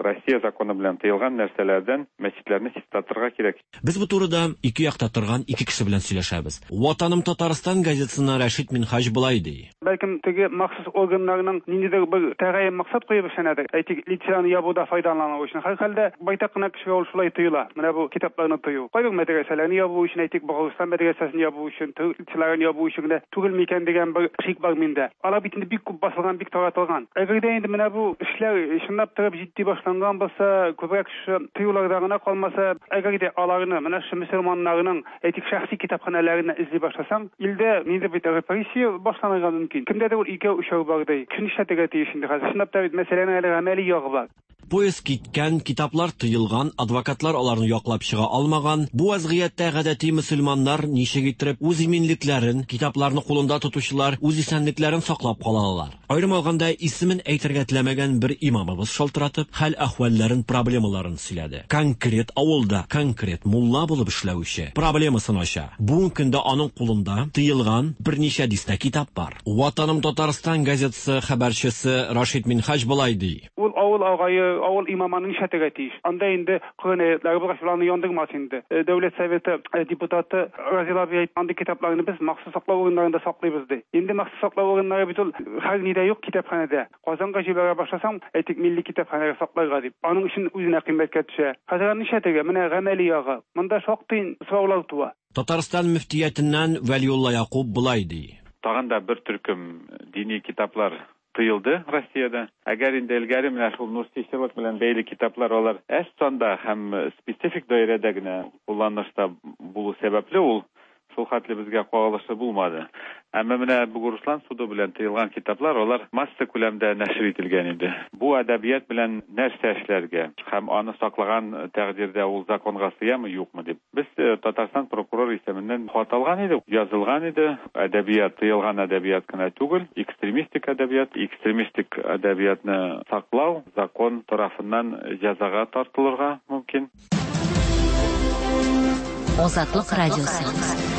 Россия законы белән тыелган нәрсәләрдән мәчетләрне чистартырга кирәк. Без бу турыда ике якта торган ике кеше белән сөйләшәбез. Ватаным Татарстан газетасыннан Рәшит Минһаҗ болай ди. Бәлкем, теге махсус органнарның ниндидер бер тәгаен максат куеп эшләнәдер. Әйтик, лицейларны ябуда файдалану өчен. Һәрхәлдә, байтак кына кешегә ул шулай тоела. Менә бу китапларны тыю. Кайбер мәдрәсәләрне ябу өчен, әйтик, Бохарстан мәдрәсәсен ябу өчен, төрек лицейларын ябу өчен генә түгел микән дигән бер шик бар миндә. Алар бит инде бик күп басылган, бик таратылган. Әгәр дә инде менә бу эшләр чынлап торып җитди башланган булса, күбрәк шушы тыюларда гына калмаса, әгәр дә аларны, менә шушы мөселманнарның, әйтик, шәхси китапханәләреннән эзли башласаң, илдә ниндидер бит репрессия башланырга мөмкин. Кемдәдер ул икәү-өчәү бар, ди. Кеше нишләтергә тиеш инде хәзер? Чынлап та бит мәсьәләнең әле гамәли ягы бар. Поезд киткән, китаплар тыелган, адвокатлар аларны яклап чыга алмаган. Бу вазгыятьтә гадәти мөселманнар ничек иттереп үз иминлекләрен, китапларны кулында тотучылар үз исәнлекләрен саклап кала алалар? Аерым алганда, исемен әйтергә теләмәгән бер имамыбыз шалтыратып, хәл-әхвәлләрен, проблемаларын сөйләде. Конкрет авылда конкрет мулла булып эшләүче проблемасын ача. Бүгенге көндә аның кулында тыелган берничә дистә китап бар. Ватаным Татарстан газетасы хәбәрчесе Рашид Минһаҗ болай ди. Ул авыл агае, авыл имамы аны нишләтергә тиеш? Анда инде Коръән аятлары булгач, ул аны яндырмас инде. Дәүләт Советы депутаты Разил абый әйтте, андый китапларны без махсус саклау урыннарында саклыйбыз, ди. Инде махсус саклау урыннары бит ул хәзер нидә юк, китапханәдә. Казанга җибәрә башласаң, әйтик, милли китапханәгә сакларга дип, аның өчен үзенә кыйммәткә төшә. Хәзер аны нишләтергә? Менә гамәли ягы. Монда шактый сораулар туа. Татарстан мөфтиятеннән Вәлиулла Якуб болай ди. Тагын да бер төркем дини китаплар тыелды Россиядә. Әгәр инде элгәре менә шул нурсичылык белән бәйле китаплар алар әз санда һәм специфик даирәдә генә кулланышта булу сәбәпле, ул шул хәтле безгә кагылышы булмады. Әмма менә Бугуруслан суды белән тыелган китаплар алар масса күләмдә нәшер ителгән инде. Бу әдәбият белән нәрсә эшләргә һәм аны саклаган тәкъдирдә ул законга сыямы, юкмы дип. Без Татарстан прокурор исеменнән хат алган идек, язылган иде. Әдәбият, тыелган әдәбият кенә түгел, экстремистик әдәбият, экстремистик әдәбиятны саклау закон тарафыннан җәзага тартылырга мөмкин. Азатлык радиосы.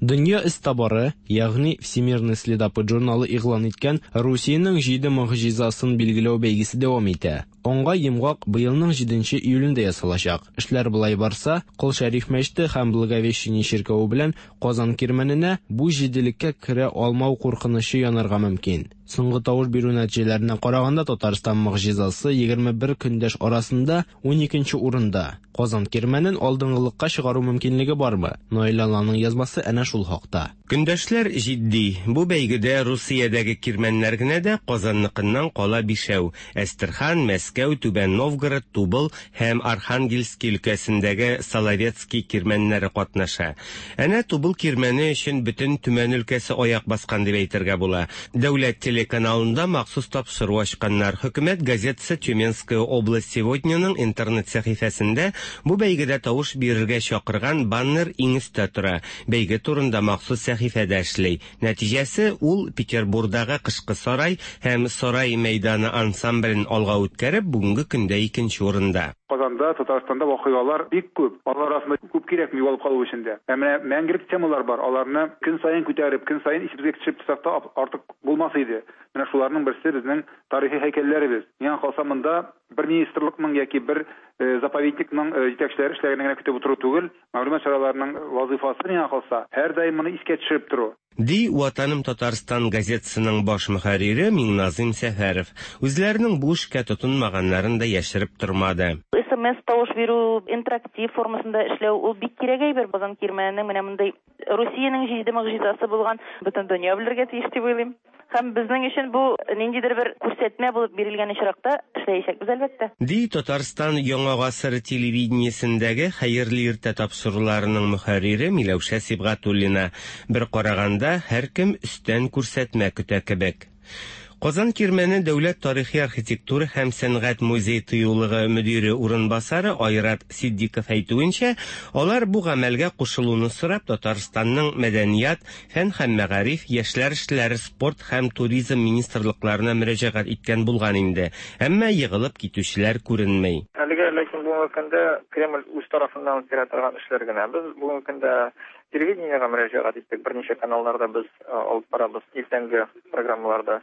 Дөнья эзтабары, ягъни Всемирный следопыт журналы игълан иткән Русиянең җиде могҗизасын билгеләү бәйгесе дәвам итә. Аңга йомгак быелның җиденче июлендә ясалачак. Эшләр болай барса, Кол Шәриф мәчете һәм Благовещение чиркәве белән Казан Кирмәненә бу җиделеккә керә алмау куркынычы янарга мөмкин. Соңгы тавыш бирү нәтиҗәләренә караганда, Татарстан могҗизасы 21 көндәш арасында уникенче урында. Казан Кирмәнен алдынгылыкка чыгару мөмкинлеге бармы? Наил Алланың язмасы әнә шул хакта. Көндәшләр җитди. Бу бәйгедә Русиядәге кирмәннәр генә дә Казанныкыннан кала бишәү, Әстерхан, Мәскәү, Түбән Новгород, Тубыл һәм Архангельски өлкәсендәге Соловецкий кирмәннәре катнаша. Әнә Тубыл кирмәне өчен бөтен Төмән өлкәсе аяк баскан дип әйтергә була. Дәүләт телеканалында махсус тапшыру ачканнар. Хөкүмәт газетасы Тюменская область сегодняның интернет сәхифәсендә бу бәйгедә тавыш бирергә чакырган баннер иң өстә тора. Бәйге турында махсус сәхифә дә эшли. Нәтиҗәсе, ул Петербурдагы Кышкы сарай һәм Сарай мәйданы ансамблен алга үткәреп, бүгенге көндә икенче урында. Казанда, Татарстанда вакыйгалар бик күп. Алар арасында күп кирәкми югалып калу өчен дә. Ә менә мәңгелек темалар бар, аларны көн саен күтәреп, көн саен исебезгә төшереп торсак та артык булмас иде. Менә шуларның берсе безнең тарихи һәйкәлләребез. Миңа калса, монда бер министрлыкның яки бер заповедникның җитәкчеләре эшләгәнне генә көтеп утыру түгел, Мәгълүмат чараларының вазыйфасы, миңа калса, һәрдаим моны искә төшереп тору. Ди Ватаным Татарстан газетасының баш мөхәррире Миңназыйм Сәфәров. Үзләренең бу эшкә тотынмаганнарын да яшереп тормады. СМС-тавыш бирү, интерактив формасында эшләү, ул бик кирәк әйбер. Казан Кирмәненең менә мондый Русиянең җиде могҗизасы булган бөтен дөнья белергә тиеш дип уйлыйм. Һәм безнең өчен бу ниндидер бер күрсәтмә булып бирелгән очракта эшләячәкбез, әлбәттә. Ди Татарстан Яңа гасыр телевидениесендәге Хәерле иртә тапшыруларының мөхәррире Миләүшә Сибгатуллина. Бер караганда, һәркем өстән күрсәтмә көтә кебек. Казан Кирмәне дәүләт тарихи-архитектура һәм сәнгать музей-тыюлыгы мөдире урынбасары Айрат Ситдиков әйтүенчә, алар бу гамәлгә кушылуны сорап Татарстанның Мәдәният, Фән һәм мәгариф, яшьләр эшләре, спорт һәм туризм министрлыкларына мөрәҗәгать иткән булган инде, әмма егылып китүчеләр күренми. Әлегә ләкин бүгенге көндә Кремль үз тарафыннан үткәрә торган эшләр генә. Без бүгенге көндә телевидениегә мөрәҗәгать иттек, берничә каналларда без алып барабыз иртәнге программаларда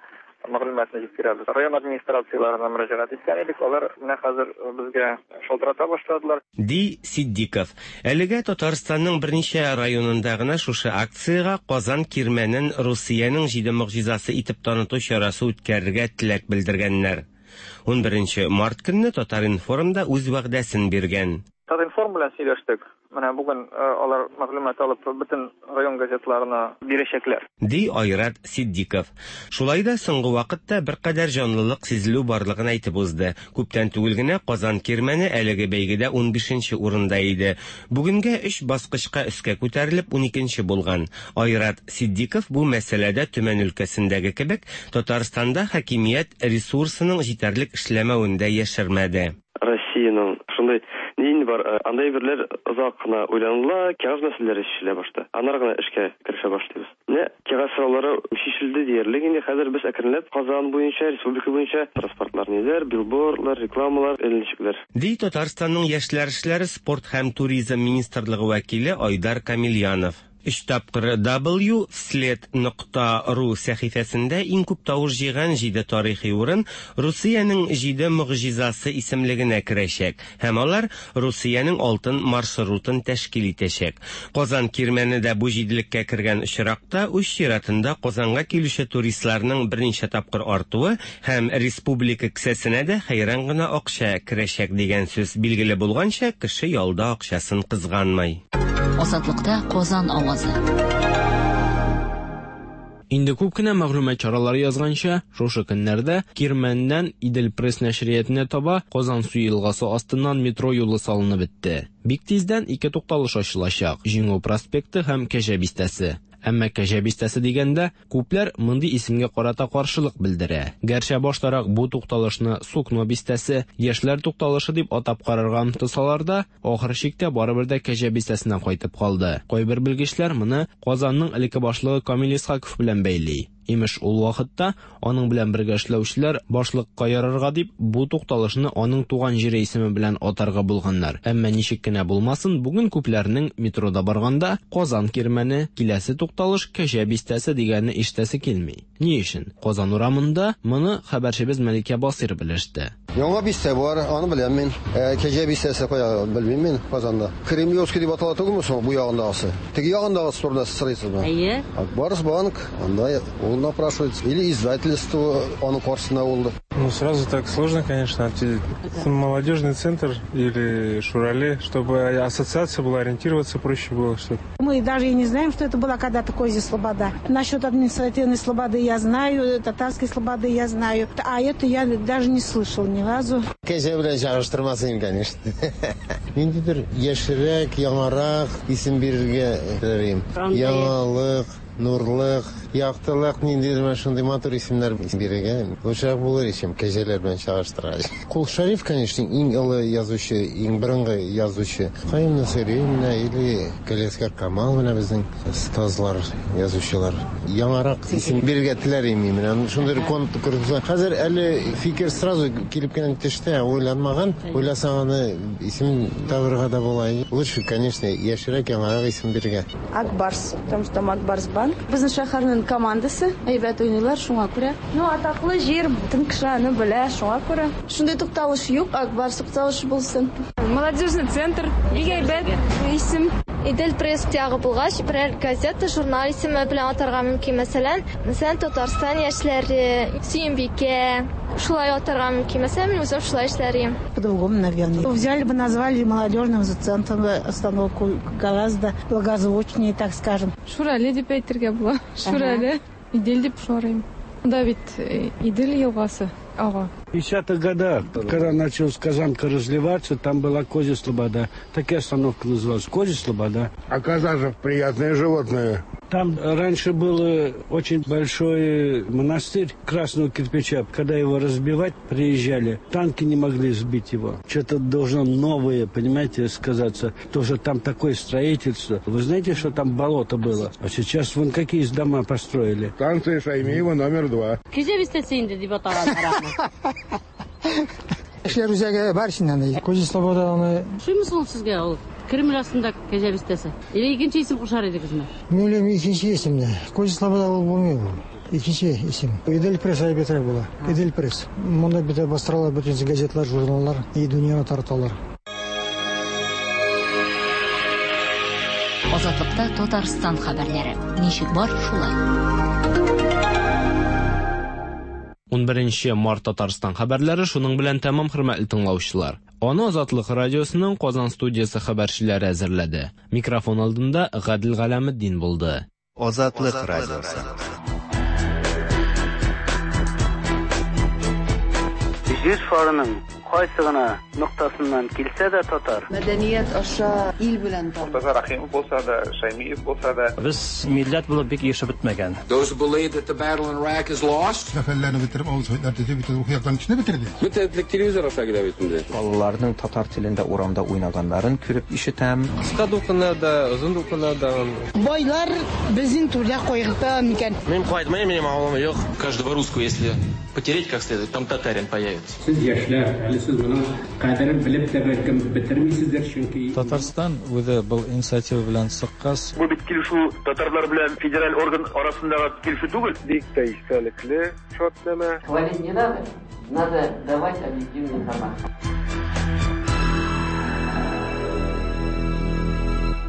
мәгълүматны җиткерәбез. Район администрацияләренә мөрәҗәгать иткән идек, алар менә хәзер безгә шалтырата башладылар. Ди Ситдиков. Әлегә Татарстанның берничә районында гына шушы акциягә Казан Кирмәнен Русиянең җиде могҗизасы итеп таныту чарасы үткәрергә теләк белдергәннәр. Унберенче март көнне Татар-информ да үз вәгъдәсен биргән. Татинформ Башинформ белән сөйләштек. Менә бүген алар мәгълүмат алып бөтен район газетларына бирәчәкләр. Ди Айрат Ситдиков. Шулай да соңгы вакытта беркадәр җанлылык сизелү барлыгын әйтеп узды. Күптән түгел генә Казан Кирмәне әлеге бәйгедә унбишенче урында иде. Бүгенгә өч баскычка өскә күтәрелеп, уникенче булган. Айрат Ситдиков бу мәсьәләдә Төмән өлкәсендәге кебек, Татарстанда хакимият ресурсының җитәрлек эшләмәвен дә яшермәде. Россиянең шундый ни инде бар, андый әйберләр озак кына уйланыла, кәгазь мәсьәләләре чишелә башта. Аннары гына эшкә керешә башлыйбыз. Менә кәгазь сораулары чишелде диярлек инде. Хәзер без әкренләп Казан буенча, республика буенча транспортлар ниләр, билбордлар, рекламалар эленчекләр. Ди Татарстанның Яшьләр эшләре, спорт һәм туризм министрлыгы вәкиле Айдар Камильянов. Өч тапкыр W вслед нокта ру сәхифәсендә иң күп тавыш җыйган җиде тарихи урын Русиянең җиде могҗизасы исемлегенә керәчәк һәм алар Русиянең алтын маршрутын тәшкил итәчәк. Казан Кирмәне дә бу җиделеккә кергән очракта, үз чиратында Казанга килүче туристларның берничә тапкыр артуы һәм республика кесәсенә дә хәйран гына акча керәчәк дигән сүз. Билгеле булганча, кеше ялда акчасын кызганмый. Азатлыкта Казан авазы. Инде күп кенә мәгълүмат чаралары язганча, шушы көннәрдә Кирмәннән Идел-Пресс нәшриятенә таба Казансу елгасы астыннан метро юлы салынып бетте. Бик тиздән ике тукталыш ачылачак, Җиңү проспекты һәм Кәҗә бистәсе. Әмма Кәҗә бистәсе дигәндә, күпләр мондый исемгә карата каршылык белдерә. Гәрчә баштарак бу тукталышны Сукно бистәсе, Яшьләр тукталышы дип атап карарга омтылсалар да, ахыр чиктә барыбер дә Кәҗә бистәсенә кайтып калды. Кайбер белгечләр моны Казанның элекке башлыгы Камил Исхаков белән бәйли. Имеш, ул вакытта аның белән бергә эшләүчеләр башлыкка ярарга дип, бу тукталышны аның туган җире исеме белән атарга булганнар. Әмма ничек кенә булмасын, бүген күпләрнең метрода барганда Казан Кирмәне, киләсе тукталыш Кәҗә бистәсе дигәнне ишетәсе килми. Ни өчен? Казан урамында моны хәбәрчебез Мәликә Басыйр белеште. Яңа бистә бар, аны беләм мин. Ә Кәҗә бистәсе кая, белмим мин, Казанда. Кремлевский дип атала түгелме соң бу ягындагысы? Теге ягындагысы турында сез сорыйсызмы? Әйе. Ак Барс банк, анда ул напрашивается. Или издательство аның каршысында булды. Ну, сразу так сложно, конечно, ответить. Молодежный центр или Шурале, чтобы ассоциация была, ориентироваться проще было, что Мы даже и не знаем, что это была когда-то Козья Слобода. Насчет административной слободы я знаю, татарской слободы я знаю, а это я даже не слышал ни разу. Кәҗә белән чагыштырмас идем, конечно. Ниндидер яшьрәк, яңарак исем бирергә теләр идем. Яңалык, нурлык, яктылык, ниндидер менә шундый матур исемнәр бирергә лучшерак булыр иде, чем кәҗәләр белән чагыштыргач. Кол Шәриф, конечно, иң олы язучы, иң борынгы язучы. Каюм Насыйри менә или Галиәсгар Камал менә безнең остазлар, язучылар. Яңарак исем бирергә теләр идем мин. Менә шундый конкурс. Хәзер әле фикер сразу килеп кенә төште, уйланмаган. Уйласаң аны исем табырга да була. Лучше, конечно, яшьрәк, яңарак исем бирергә. Ак Барс, потому что там Ак Барс банк. Безнең шәһәрнең командасы әйбәт уйныйлар, шуңа күрә. Ну, атаклы җир, бөтен кеше аны белә, шуңа күрә. Шундый тукталыш юк, Ак Барс тукталышы булсын. Молодежный центр, бик әйбәт исем. Идел пресс ягы булгач, берәр газета, журнал исеме белән атарга мөмкин. Мәсәлән, мәсәлән, Татарстан яшьләре, Сөембикә, шулай атарга мөмкин. Мәсәлән, мин үзем шулай эшләр идем. По-другому, наверное. Взяли бы, назвали молодежным центром остановку гораздо благозвучнее, так скажем. Шурале дип әйтергә була. Шурале. Идел дип шарыйм. Монда бит э, Идел елгасы ага. В 50-х годах, когда началась Казанка разливаться, там была Козья Слобода. Такая остановка называлась Козья Слобода. А коза же приятное животное. Там раньше был очень большой монастырь красного кирпича. Когда его разбивать приезжали, танки не могли сбить его. Что-то должно новое, понимаете, сказаться. Тоже там такое строительство. Вы знаете, что там болото было? А сейчас вон какие дома построили. Станция Шаймиева номер два. Кәҗә бистәсе инде дип атаганнар аны. Яшьләр үзәге бар ичендә анда. Козья Слобода аны. Ошыймы ул сезгә ул Кремль астында Кәҗә бистәсе? Или икенче исем кушар идегезме? Мин уйлыйм, икенче исемне. Козья Слобода ул булмый ул. Икенче исем. Идел пресс әйбәтрәк була. Идел пресс. Монда бит бастыралар бөтен газетлар, журналлар и дөньяны тараталар. Азатлыкта Татарстан хәбәрләре. Ничек бар, шулай. 11 март Татарстан хәбәрләре шуның белән тәмам, хөрмәтле тыңлаучылар. Аны Азатлык радиосының Казан студиясе хәбәрчеләре әзерләде. Микрофон алдында Гадел Галәметдин булды. Азатлык радиосы. Җир шарының кайсы гына ноктасыннан килсә дә татар. Мәдәният аша ил белән таныш. Мортаза Рәхимов булса да, Шәймиев булса да. Без милләт булып бик ирешеп бетмәгән. Those who believe that the battle in Iraq is lost. Сәфәрләрне бетереп, авыл советлар төзеп, бөтен рухи яктан кешене бетерде. Бөтен телевизор аша килә бит инде. Балаларның татар телендә урамда уйнаганнарын күреп ишетәм. Кыска дулкыннар да, озын дулкыннар да. Байлар безнең түрдә кайгырта микән? Мин кайтмыйм, минем авылым юк. Каждого русского, если потереть как следует, там татарин появится. Сез яшьләр, әле сез моның кадерен белеп тә бәлкем бетермисездер, чөнки Татарстан үзе был инициатива белән чыккач, Бу бит килешү татарлар белән федераль орган арасындагы килешү түгел. Бик тә истәлекле шартнамә. Хвалить не надо, надо давать объективную информацию.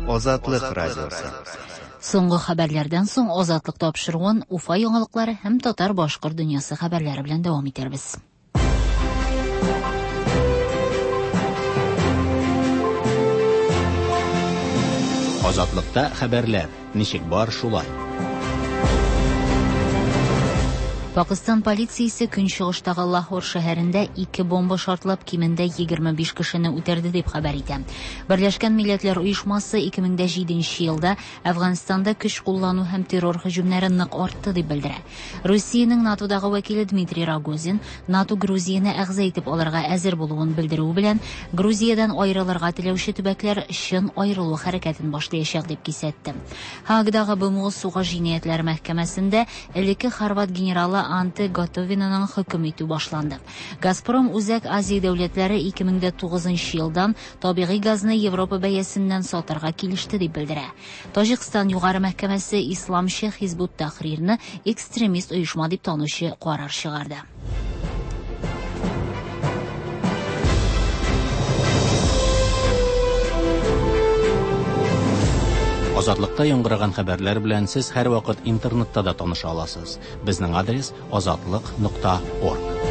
Азатлык радиосы. Соңгы хәбәрләрдән соң Азатлык тапшыруын Уфа яңалыклары һәм татар-башкорт дөньясы хәбәрләре белән дәвам итәрбез. Азатлыкта хәбәрләр ничек бар шулай. Пакыстан полициясе көнчыгыштагы Лахор шәһәрендә ике бомба шартлап кимендә 25 кешене үтерде дип хәбәр итә. Берләшкән Милләтләр Оешмасы 2007 елда Әфганстанда көч куллану һәм террор һөҗүмнәре нык артты дип белдерә. Русиянең НАТОдагы вәкиле Дмитрий Рогозин НАТО Грузияне әгъза итеп алырга әзер булуын белдерүе белән Грузиядән аерылырга теләүче төбәкләр чын аерылу хәрәкәтен башлаячак дип кисәтте. Һаагадагы БМО сугыш җинаятьләре мәхкәмәсендә элекке хорват генералы Анте Готовинаның хөкем итү башланды. Газпром Үзәк Азия дәүләтләре 2009 елдан табигый газны Европа бәясеннән сатарга килеште дип белдерә. Таҗикстан югары мәхкәмәсе исламчы Хизбут Тахрирны экстремист оешма дип танучы карар чыгарды. Азатлыкта яңгыраган хәбәрләр белән сез һәрвакыт интернетта да таныша аласыз. Безнең адрес азатлык.орг.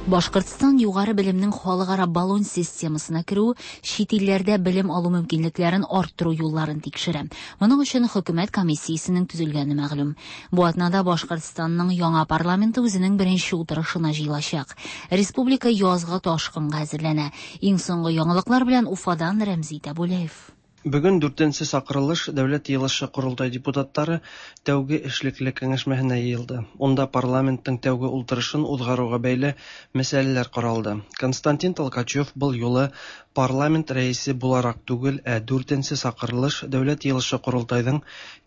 Башкортстан югары белемнең халыкара Болон системасына керүе чит илләрдә белем алу мөмкинлекләрен арттыру юлларын тикшерә. Моның өчен хөкүмәт комиссиясенең төзелгәне мәгълүм. Бу атнада Башкортстанның яңа парламенты үзенең беренче утырышына җыелачак. Республика язгы ташкынга әзерләнә. Иң соңгы яңалыклар белән Уфадан Рәмзи Тәбүләев. Бүген дүртенче чакырылыш Дәүләт Йыелышы-Корылтай депутатлары тәүге эшлекле киңәшмәһенә йыелды. Унда парламентның тәүге ултырышын узгаруга бәйле мәсьәләләр каралды. Константин Толкачев был юлы парламент рәисе буларак түгел, ә дүртенче чакырылыш Дәүләт Йыелышы-Корылтайның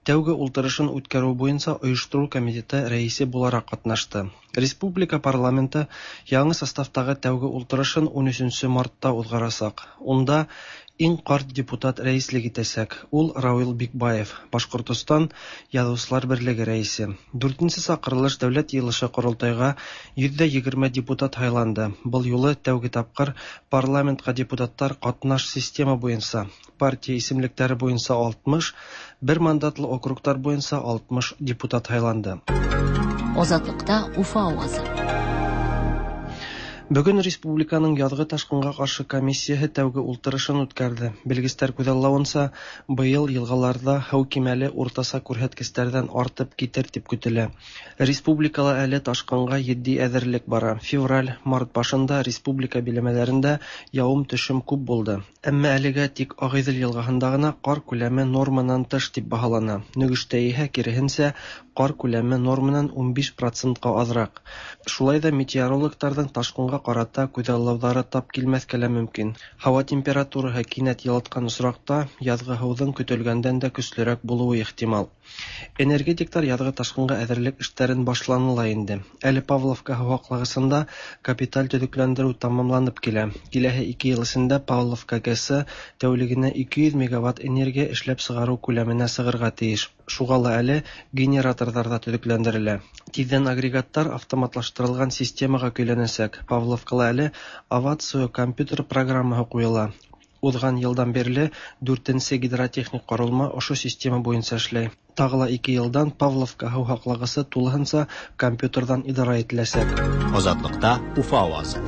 тәүге ултырышын үткәрү буенча оештыру комитеты рәисе буларак катнашты. Республика парламенты яңа составтагы тәүге ултырышын 13 мартта узгарачак. Унда иң карт депутат рәислек итәчәк. Ул Равил Бикбаев, Башкортостан Язучылар берлеге рәисе. Дүртенче чакырылыш Дәүләт Йыелышы-Корылтайга 120 депутат һайланды. Был юлы тәүге тапкыр парламентка депутатлар катнаш система буенча, партия исемлекләре буенча 60, бер мандатлы округлар буенча 60 депутат һайланды. Азатлыкта Уфа авазы. Бүген республиканың язгы ташкынга каршы комиссияһе тәүге ултырышын үткәрде. Белгечләр күзаллавынча, быел елгаларда һау кимәле уртача күрһәткечләрдән артып китер дип көтелә. Республикала әле ташкынга етди әзерлек бара. Февраль, март башында республика биләмәләрендә явым-төшем күп булды. Әмма әлегә тик Агыйдел елгаһында гына кар күләме норманнан тыш дип баһалана. Нөгештә иһә киреһенчә, кар күләме норманнан 15 процентка азрак. Шулай да метеорологларның ташкынга карата күзаллаулары тап килмәскә лә мөмкин. Һава температурасы кинәт йылыткан очракта язгы һауның көтелгәндән дә көчлерәк булуы ихтимал. Энергетиклар язгы ташкынга әзерлек эшләрен башланыла инде. Әле Павловка һава аклагысында капиталь төзекләндерү тәмамланып килә. Киләһе 2 ел эчендә Павловка ГЭСы тәүлегенә 200 мегаватт энергия эшләп чыгару күләменә чыгарга тиеш. Шуңа ла әле генераторлар да төзекләндерелә. Тиздән агрегатлар автоматлаштырылган системага көйләнәчәк. Павловкала әле Авацио компьютер программаһы куела. Узган елдан бирле дүртенче гидротехник корылма ошо система буенча эшләй. Тагы ла ике елдан Павловка һыу һаклагысы тулыһынса компьютердан идара ителәсәк. Азатлыкта Уфа авазы.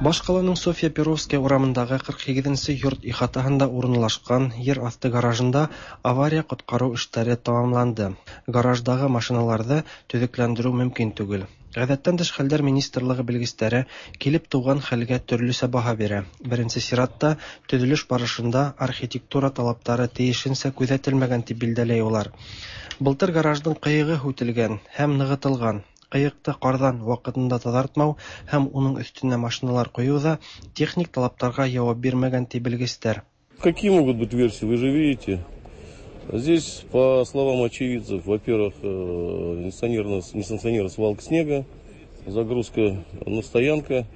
Башкаланың Софья Перовская урамындагы 48 нче йорт ихатаһында урынлашкан ер асты гаражында авария-коткару эшләре тәмамланды. Гараждагы машиналарны төзекләндерү мөмкин түгел. Гадәттән тыш хәлләр министрлыгы белгечләре килеп туган хәлгә төрлечә баһа бирә. Беренче чиратта, төзелеш барышында архитектура талаплары тиешенчә күзәтелмәгән дип билдәләй алар. Былтыр гаражның кыегы сүтелгән һәм ныгытылган. Кыекты кардан вакытында тазартмау һәм уның өстенә машиналар кую да техник талапларга җавап бирмәгән ди белгечләр. Какие могут быть версии, вы же видите. Здесь, по словам очевидцев, во-первых, несанкционированная свалка снега, загрузка на стоянка.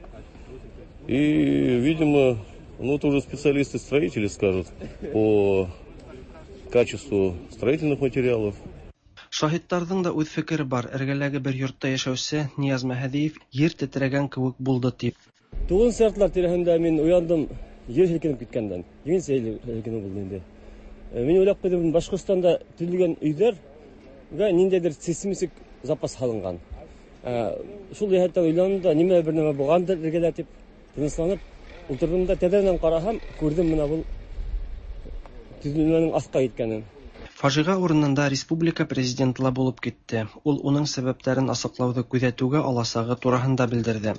И, видимо, ну это уже специалисты-строители скажут по качеству строительных материалов. Шаһитларның да үз фикере бар. Эргәләге бер йортта яшәүче Нияз Мәһдиев ер тетрәгән кебек булды дип. 9 сәгатьләр тирәһендә мин уяндым, ер һелкенеп киткәндән. Җиңелчә һелкенү булды инде. Мин уйлап куйдым, Башкортстанда төзелгән өйләргә ниндәйдер сейсмик запас һалынган. Шул йәһәттән уйландым да, нимә бер нәмә булгандыр эргәдә дип тынычланып утырдым да, тәҙрәнән караһам, күрдем менә был төзелмәнең аҫҡа киткәнен. Фажиға урынында республика президенты ла булып китте. Ул уның сәбәптәрен асыҡлауҙы күҙәтеүгә аласағы тураһында белдерҙе.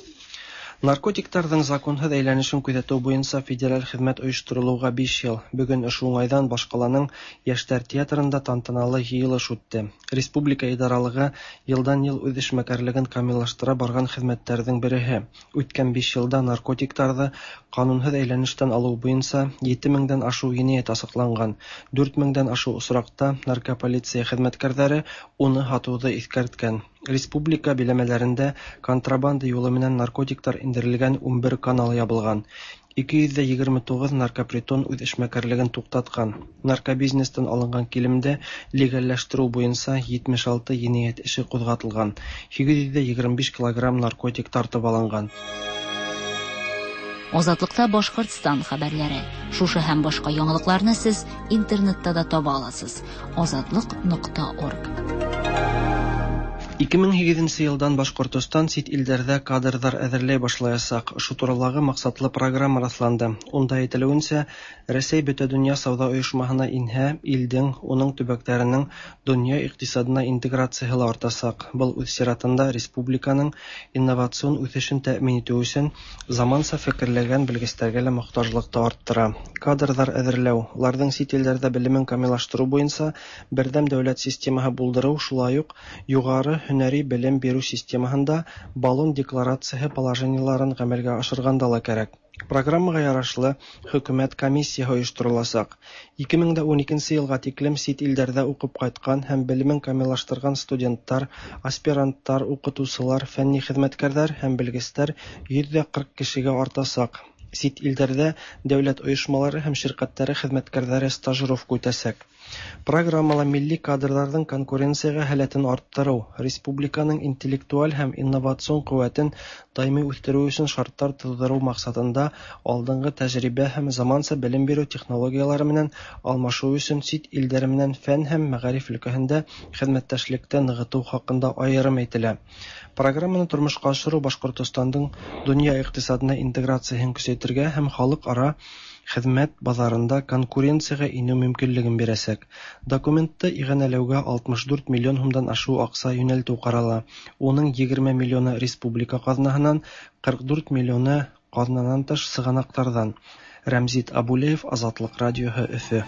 Наркотиктарҙың законһыҙ әйләнешен күҙәтеү буйынса федераль хеҙмәт ойошторолоуға 5 йыл. Бөгөн ошо уңайҙан башҡаланың Йәштәр театрында тантаналы йыйылыш үтте. Республика идаралығы йылдан-йыл үҙ эшмәкәрлеген камиллаштыра барған хеҙмәттәрҙең береһе. Үткән 5 йылда наркотиктарҙы ҡанунһыҙ әйләнештән алыу буйынса 7 меңдән ашыу енәйәт асыҡланған. 4 меңдән ашыу осраҡта наркополиция хеҙмәткәрҙәре уны һатыуҙы иҫкәрткән. Республика биләмәләрендә контрабанда юлы менән наркотиктар индерелгән 11 канал ябылған. 229 наркопритон үҙ эшмәкәрлеген туҡтатҡан. Наркобизнестан алынған килемде легалләштереү буйынса 76 енәйәт эше ҡуҙғатылған. 825 килограмм наркотик тартып алынған. Азатлыкта Башкортстан хәбәрләре. Шушы һәм башка яңалыкларны сез интернетта да таба аласыз. Азатлык.орг. 2008 елдан Башкортостан сит илдәрҙә кадрҙар әҙерләй башлаясаҡ. Ошо туралағы маҡсатлы программа раҫланды. Унда әйтелеүенсә, Рәсәй Бөтә донъя сауҙа ойошмаһына инһә, илдең, уның төбәктәренең донъя иҡтисадына интеграцияһы ла артасаҡ. Был үҙ сиратында республиканың инновацион үҫешен тәьмин итеү өсөн заманса фекерләгән белгестәргә лә мохтажлыҡты арттыра. Кадрҙар әҙерләү, уларҙың сит илдәрҙә белемен камиллаштырыу буйынса берҙәм дәүләт системаһы булдырыу, шулай уҡ юғары һөнәри белем биреү системаһында Болон декларацияһы положениеларын ғәмәлгә ашырғанда ла кәрәк. Программаға ярашлы хөкүмәт комиссияһы ойоштороласаҡ. 2012 йылға тиклем сит илдәрҙә уҡып ҡайтҡан һәм белемен камиллаштырған студенттар, аспиранттар, уҡытыусылар, фәнни хеҙмәткәрҙәр һәм белгестәр 140 кешегә артасаҡ. Сит илдәрҙә дәүләт ойошмалары һәм ширҡәттәре хеҙмәткәрҙәре стажировка үтәсәк. Программала милли кадрҙарҙың конкуренцияға һәләтен арттырыу, республиканың интеллектуаль һәм инновацион ҡеүәтен даими үҫтереү өсөн шарттар тыуҙырыу маҡсатында алдынғы тәжрибә һәм заманса белем биреү технологиялары менән алмашыу өсөн сит илдәр менән фән һәм мәғариф өлкәһендә хеҙмәттәшлекте нығытыу хаҡында айырым әйтелә. Программаны тормошҡа ашырыу Башҡортостандың донъя иҡтисадына интеграцияһын көсәйтергә һәм халыҡ-ара хеҙмәт баҙарында конкуренцияға инеү мөмкинлеген бирәсәк. Документты иғәнәләүгә 64 миллион һумдан ашыу аҡса йүнәлтеү ҡарала. Уның 20 миллионы республика ҡаҙнаһынан, 44 миллионы ҡаҙнанан тыш сығанаҡтарҙан. Рәмзит Абулеев, Азатлыҡ радиоһы, Өфө.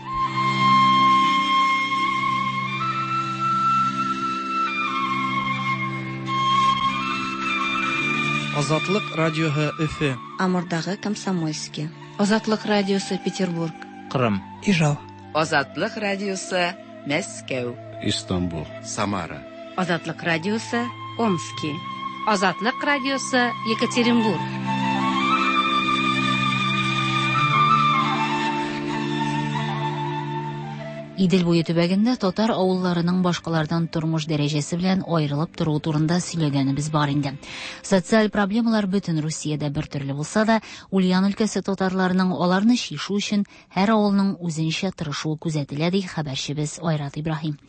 Азатлыҡ радиоһы, Өфө. Амурдағы Комсомольский. Азатлык радиосы Петербург. Кырым. Ижау. Азатлык радиосы Мәскәү. Истанбул. Самара. Азатлык радиосы Омски. Азатлык радиосы Екатеринбург. Идел буе төбәгендә татар авылларының башкалардан тормыш дәрәҗәсе белән аерылып торуы турында сөйләгәнебез бар инде. Социаль проблемалар бөтен Русиядә бер төрле булса да, Ульян өлкәсе татарларының аларны чишү өчен һәр авылның үзенчә тырышуы күзәтелә, ди хәбәрчебез Айрат Ибраһим.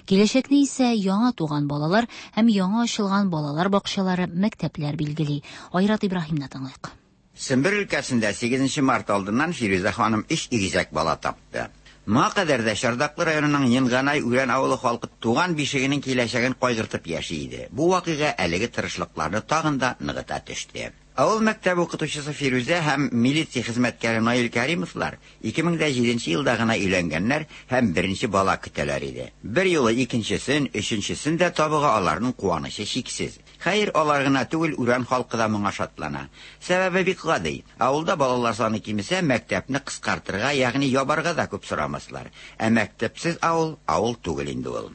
Киләчәкне исә яңа туган балалар һәм яңа ачылган балалар бакчалары, мәктәпләр билгели. Айрат Ибраһимны тыңлыйк. Сембер өлкәсендә 8 март алдыннан Фирүзә ханым өч игезәк бала тапты. Моңа кадәр дә Чардаклы районының Енганай Үрән авылы халкы туган бишегенең киләчәген кайгыртып яши иде. Бу вакыйга әлеге тырышлыкларны тагын да ныгыта төште. Авыл мәктәбе укытучысы Фирүзә һәм милиция хезмәткәре Наил Кәримовлар 2007 елда гына өйләнгәннәр һәм беренче бала көтәләр иде. Бер юлы икенчесен, өченчесен дә табуга аларның куанычы чиксез. Хәер, алар гына түгел, Үрән халкы да моңа шатлана. Сәбәбе бик гади. Авылда балалар саны кимесә, мәктәпне кыскартырга, ягъни ябарга да күп сорамаслар. Ә мәктәпсез авыл авыл түгел инде ул.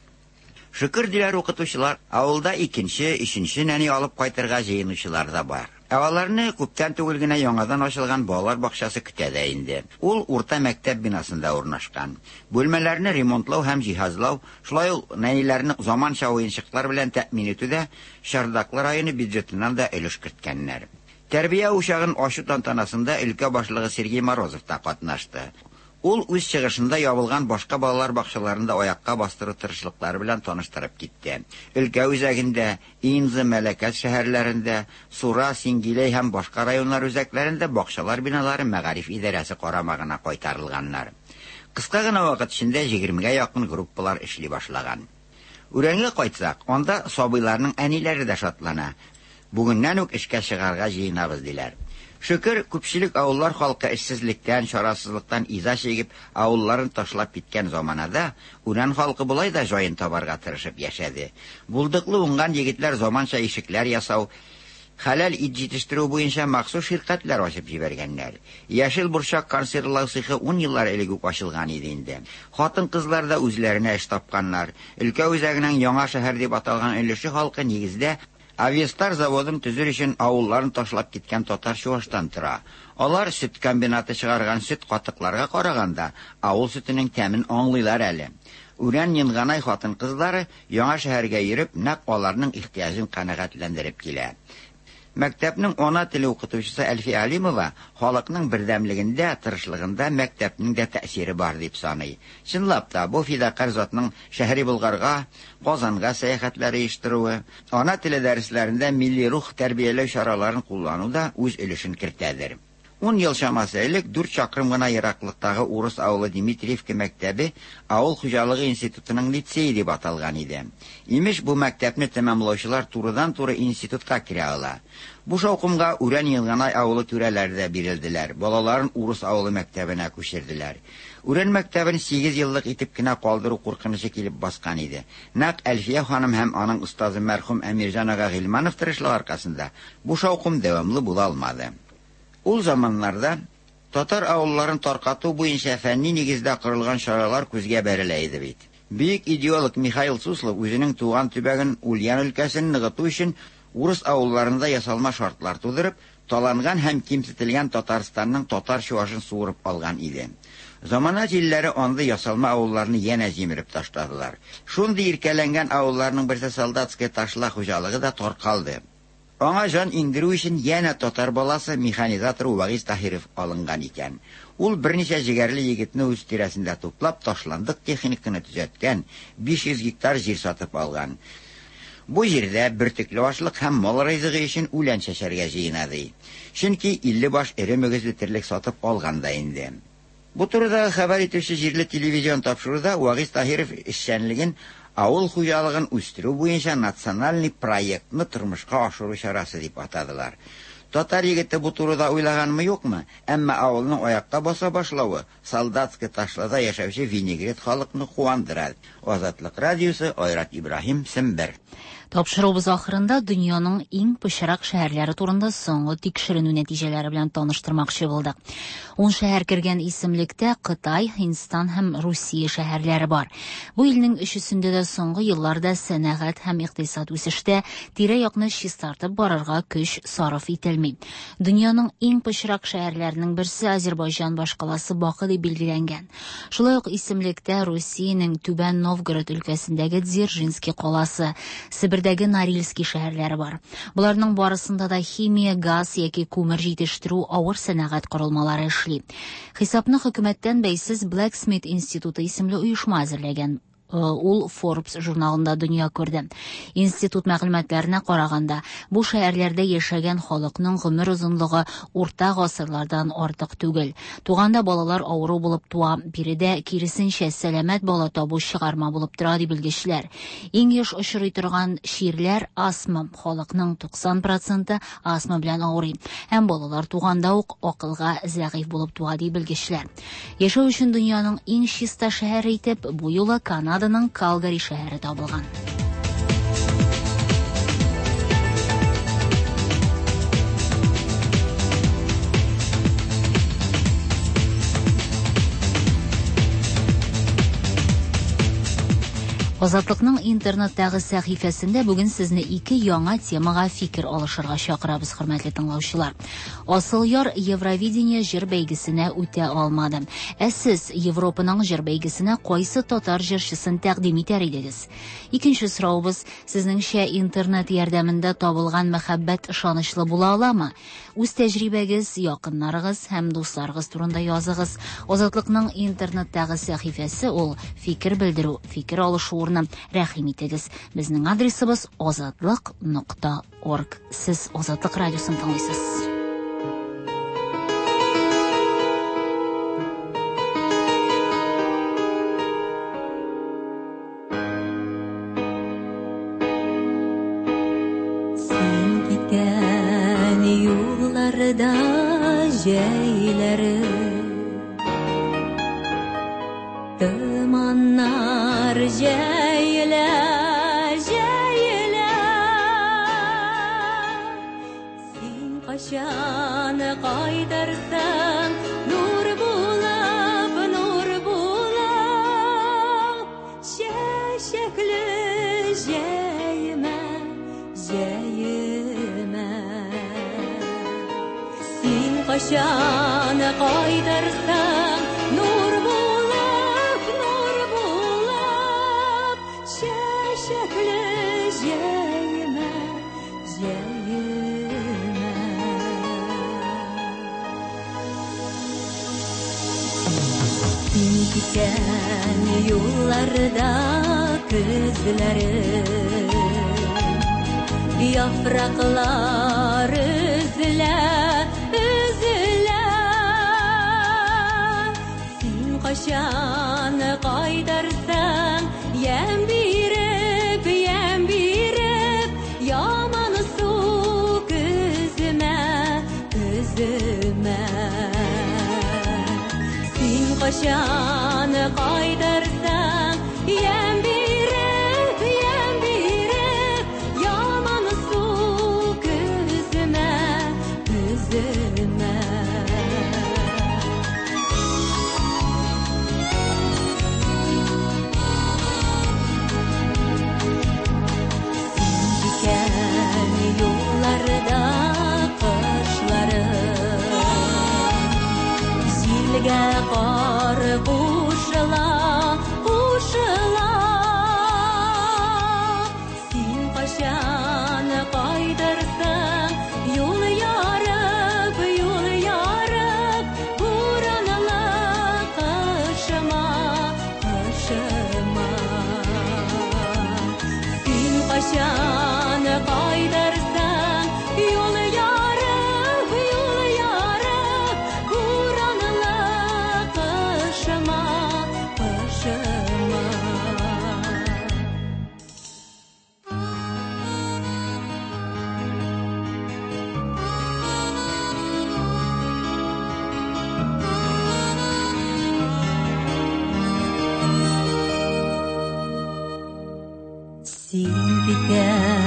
Шөкер, диләр укытучылар, авылда икенче, өченче нәни алып кайтырга җыенучылар да бар. Ә аларны күптән түгел генә яңадан ачылган балалар бакчасы көтә дә инде. Ул урта мәктәп бинасында урнашкан. Бүлмәләрне ремонтлау һәм җиһазлау, шулай ук нәниләрне заманча уенчыклар белән тәэмин итүдә Чардаклы районы бюджетыннан да өлеш керткәннәр. Тәрбия учагын ачу тантанасында өлкә башлыгы Сергей Морозов та катнашты. Ул үз чыгышында ябылган башка балалар бакчаларын да аякка бастыру тырышлыклары белән таныштырып китте. Өлкә үзәгендә, Инза, Мәләкәс шәһәрләрендә, Сура, Сингиләй һәм башка районнар үзәкләрендә бакчалар биналары мәгариф идарәсе карамагына кайтарылганнар. Кыска гына вакыт эчендә 20гә якын группалар эшли башлаган. Үрәнгә кайтсак, анда сабыйларның әниләре дә шатлана. Бүгеннән үк эшкә чыгарга җыенабыз, диләр. Шөкер, күпчелек авыллар халкы эшсезлектән, чарасызлыктан иза чигеп, авылларын ташлап киткән заманада, Үрән халкы болай да җаен табарга тырышып яшәде. Булдыклы уңган егетләр заманча ишекләр ясау, хәләл ит җитештерү буенча махсус ширкәтләр ачып җибәргәннәр. Яшел борчак консервлау цехы 10 еллар элек үк ачылган иде инде. Хатын-кызлар да үзләренә эш тапканнар. Өлкә үзәгенең Яңа шәһәр дип аталган өлеше халкы нигездә Авиастар заводын төзер өчен авылларын ташлап киткән татар-чуаштан тора. Алар сөт комбинаты чыгарган сөт катыкларга караганда авыл сөтенең тәмен аңлыйлар әле. Үрән Енганай хатын-кызлары яңа шәһәргә йөреп, нәкъ аларның ихтыяҗын канәгатьләндереп килә. Мәктәпнең ана теле укытучысы Әлфия Алимова халыкның бердәмлегендә, тырышлыгында мәктәпнең дә тәэсире бар дип саный. Чынлап та, бу фидакарь затның Шәһри Болгарга, Казанга сәяхәтләр оештыруы, ана теле дәресләрендә милли рух тәрбияләү чараларын куллану да үз өлешен кертәдер. 10 ел чамасы элек 4 чакрым гына ераклыктагы урыс авылы Дмитриевка мәктәбе авыл хуҗалыгы институтының лицее дип аталган иде. Имеш, бу мәктәпне тәмамлаучылар турыдан-туры институтка керә ала. Бу шаукымга Үрән Елганай авылы түрәләре дә бирелделәр, балаларын урыс авылы мәктәбенә күчерделәр. Үрән мәктәбен 8 еллык итеп кенә калдыру куркынычы килеп баскан иде. Нәкъ Әлфия ханым һәм аның остазы мәрхүм Әмирҗан ага Гыйльманов тырышлыгы аркасында бу шаукым дәвамлы була алмады. Ул заманнарда татар авылларын таркату буенча фәнни нигездә корылган чаралар күзгә бәрелә иде бит. Бөек идеолог Михаил Суслов үзенең туган төбәген Ульян өлкәсен ныгыту өчен урыс авылларында ясалма шартлар тудырып, таланган һәм кимсетелгән Татарстанның татар чуашын суырып алган иде. Замана җилләре андый ясалма авылларны янә җимереп ташладылар. Шундый иркәләнгән авылларның берсе Солдатская Ташла хуҗалыгы да таркалды. Аңа җан иңдерү өчен янә татар баласы механизатор Вагиз Таһиров алынган икән. Ул берничә җегәрле егетне үз тирәсендә туплап, ташландык техниканы төзәткән, 500 гектар җир сатып алган. Бу җирдә бөртекле ашлык һәм мал ризыгы өчен үлән чәчәргә җыена ди. Чөнки 50 баш эре мөгезле терлек сатып алган да инде. Бу турыда хәбәр итүче җирле телевизион тапшыруда Вагиз Таһиров эшчәнлеген авыл хуҗалыгын үстерү буенча национальный проектны тормышка ашыру чарасы дип атадылар. Татар егете бу турыда уйлаганмы юкмы, әмма авылның аякка баса башлавы Солдатская Ташлада яшәүче винегрет халыкны куандыра. Азатлык радиосы, Айрат Ибраһим, Сембер. Тапшыруыбыз ахырында дөньяның иң пычрак шәһәрләре турында соңгы тикшеренү нәтиҗәләре белән таныштырмакчы булдык. Ун шәһәр кергән исемлектә Кытай, Һиндстан һәм Русия шәһәрләре бар. Бу илнең өчесендә дә соңгы елларда сәнәгать һәм икътисад үсештә, тирә-якны чистартып барырга көч сарыф ителми. Дөньяның иң пычрак шәһәрләренең берсе Азербайҗан башкаласы Бакы дип билгеләнгән. Шулай ук исемлектә Русиянең Түбән Новгород өлкәсендәге Дзержинский каласы, Себердәге Норильский шәһәрләре бар. Боларның барысында да химия, газ яки күмер җитештерү авыр сәнәгать корылмалары эшли. Хисапны хөкүмәттән бәйсез Blacksmith институты исемле оешма әзерләгән. Ул Forbes журналында дөнья күрде. Институт мәгълүматларына караганда, бу шәһәрләрдә яшәгән халыкның гомер озынлыгы урта гасырлардан артык түгел. Туганда балалар авыру булып туа, биредә киресенчә сәламәт бала табу чыгарма булып тора, ди белгечләр. Иң еш очрый торган чирләр астма. Халыкның 90 проценты астма белән авырый. Һәм балалар туганда ук акылга зәгыйфь булып туа, ди белгечләр. Яшәү өчен дөньяның иң чиста шәһәре итеп бу юлы Канаданың Калгари шәһәре табылган. Азатлыкның интернеттагы сәхифәсендә бүген сезне ике яңа темага фикер алышырга чакырабыз, хөрмәтле тыңлаучылар. Асылъяр Евровидение җыр бәйгесенә үтә алмады. Ә сез Европаның җыр бәйгесенә кайсы татар җырчысын тәкъдим итәр идегез? Икенче соравыбыз, сезнеңчә интернет ярдәмендә табылган мәхәббәт ышанычлы була аламы? Үз тәҗрибәгез, якыннарыгыз һәм дусларыгыз турында языгыз. Азатлыкның интернеттагы сәхифәсе ул фикер белдерү, фикер алышу урыны. Рәхим итегез. Безнең адресыбыз азатлык.орг. Сез Азатлык радиосын тыңлыйсыз. Син киткән юлларда җәйләре Томаннар җәелә, җәелә. Син кайчан кайтырсың, нур булып, нур булып, чәчәкле җәемә, җәемә. Син кайчан кайтырсың, нур булып, нур булып, чәчәкле җәемә, җәемә. Син киткән юлларда көзләре, яфраклар өзелә, өзелә. Син кайчан кайтырсың, ямь биреп, ямь биреп, ямансу көземә, көземә. Син кайчан кайтырсың, ямь биреп, ямь биреп, ямансу көземә, көземә. Син киткән юлларда кышлары, җилгә кар кушыла, кушыла. Син кайчан кайтырсың, юл ярып, юл ярып, буранлы кышыма, кышыма. Син кайчан кайтырсың, юл ярып, юл ярып, буранлы кышыма, кышыма. Син киткән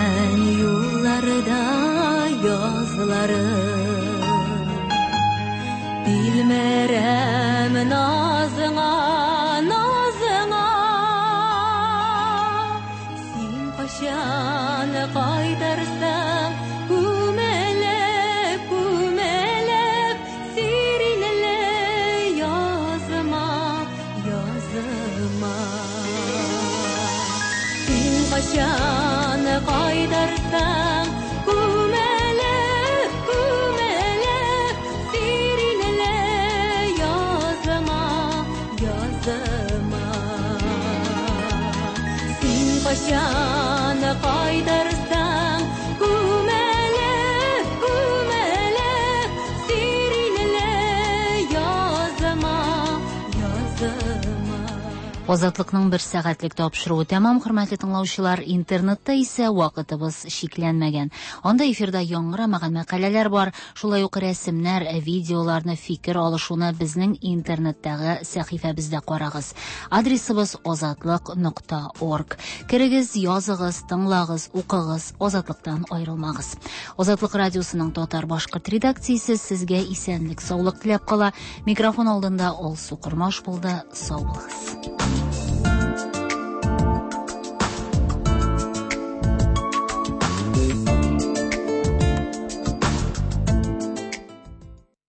Азатлыкның бер сәгатьлек тапшыруы тәмам, хөрмәтле тыңлаучылар. Интернетта исә вакытыбыз чикләнмәгән. Анда эфирда яңгырамаган мәкаләләр бар, шулай ук рәсемнәр, видеоларны, фикер алышуны безнең интернеттагы сәхифәбездә карагыз. Адресыбыз азатлык.орг. Керегез, языгыз, тыңлагыз, укыгыз, Азатлыктан аерылмагыз. Азатлык радиосының татар-башкорт редакциясе сезгә исәнлек, саулык теләп кала. Микрофон алдында Алсу Кормаш булды. Сау булыгыз.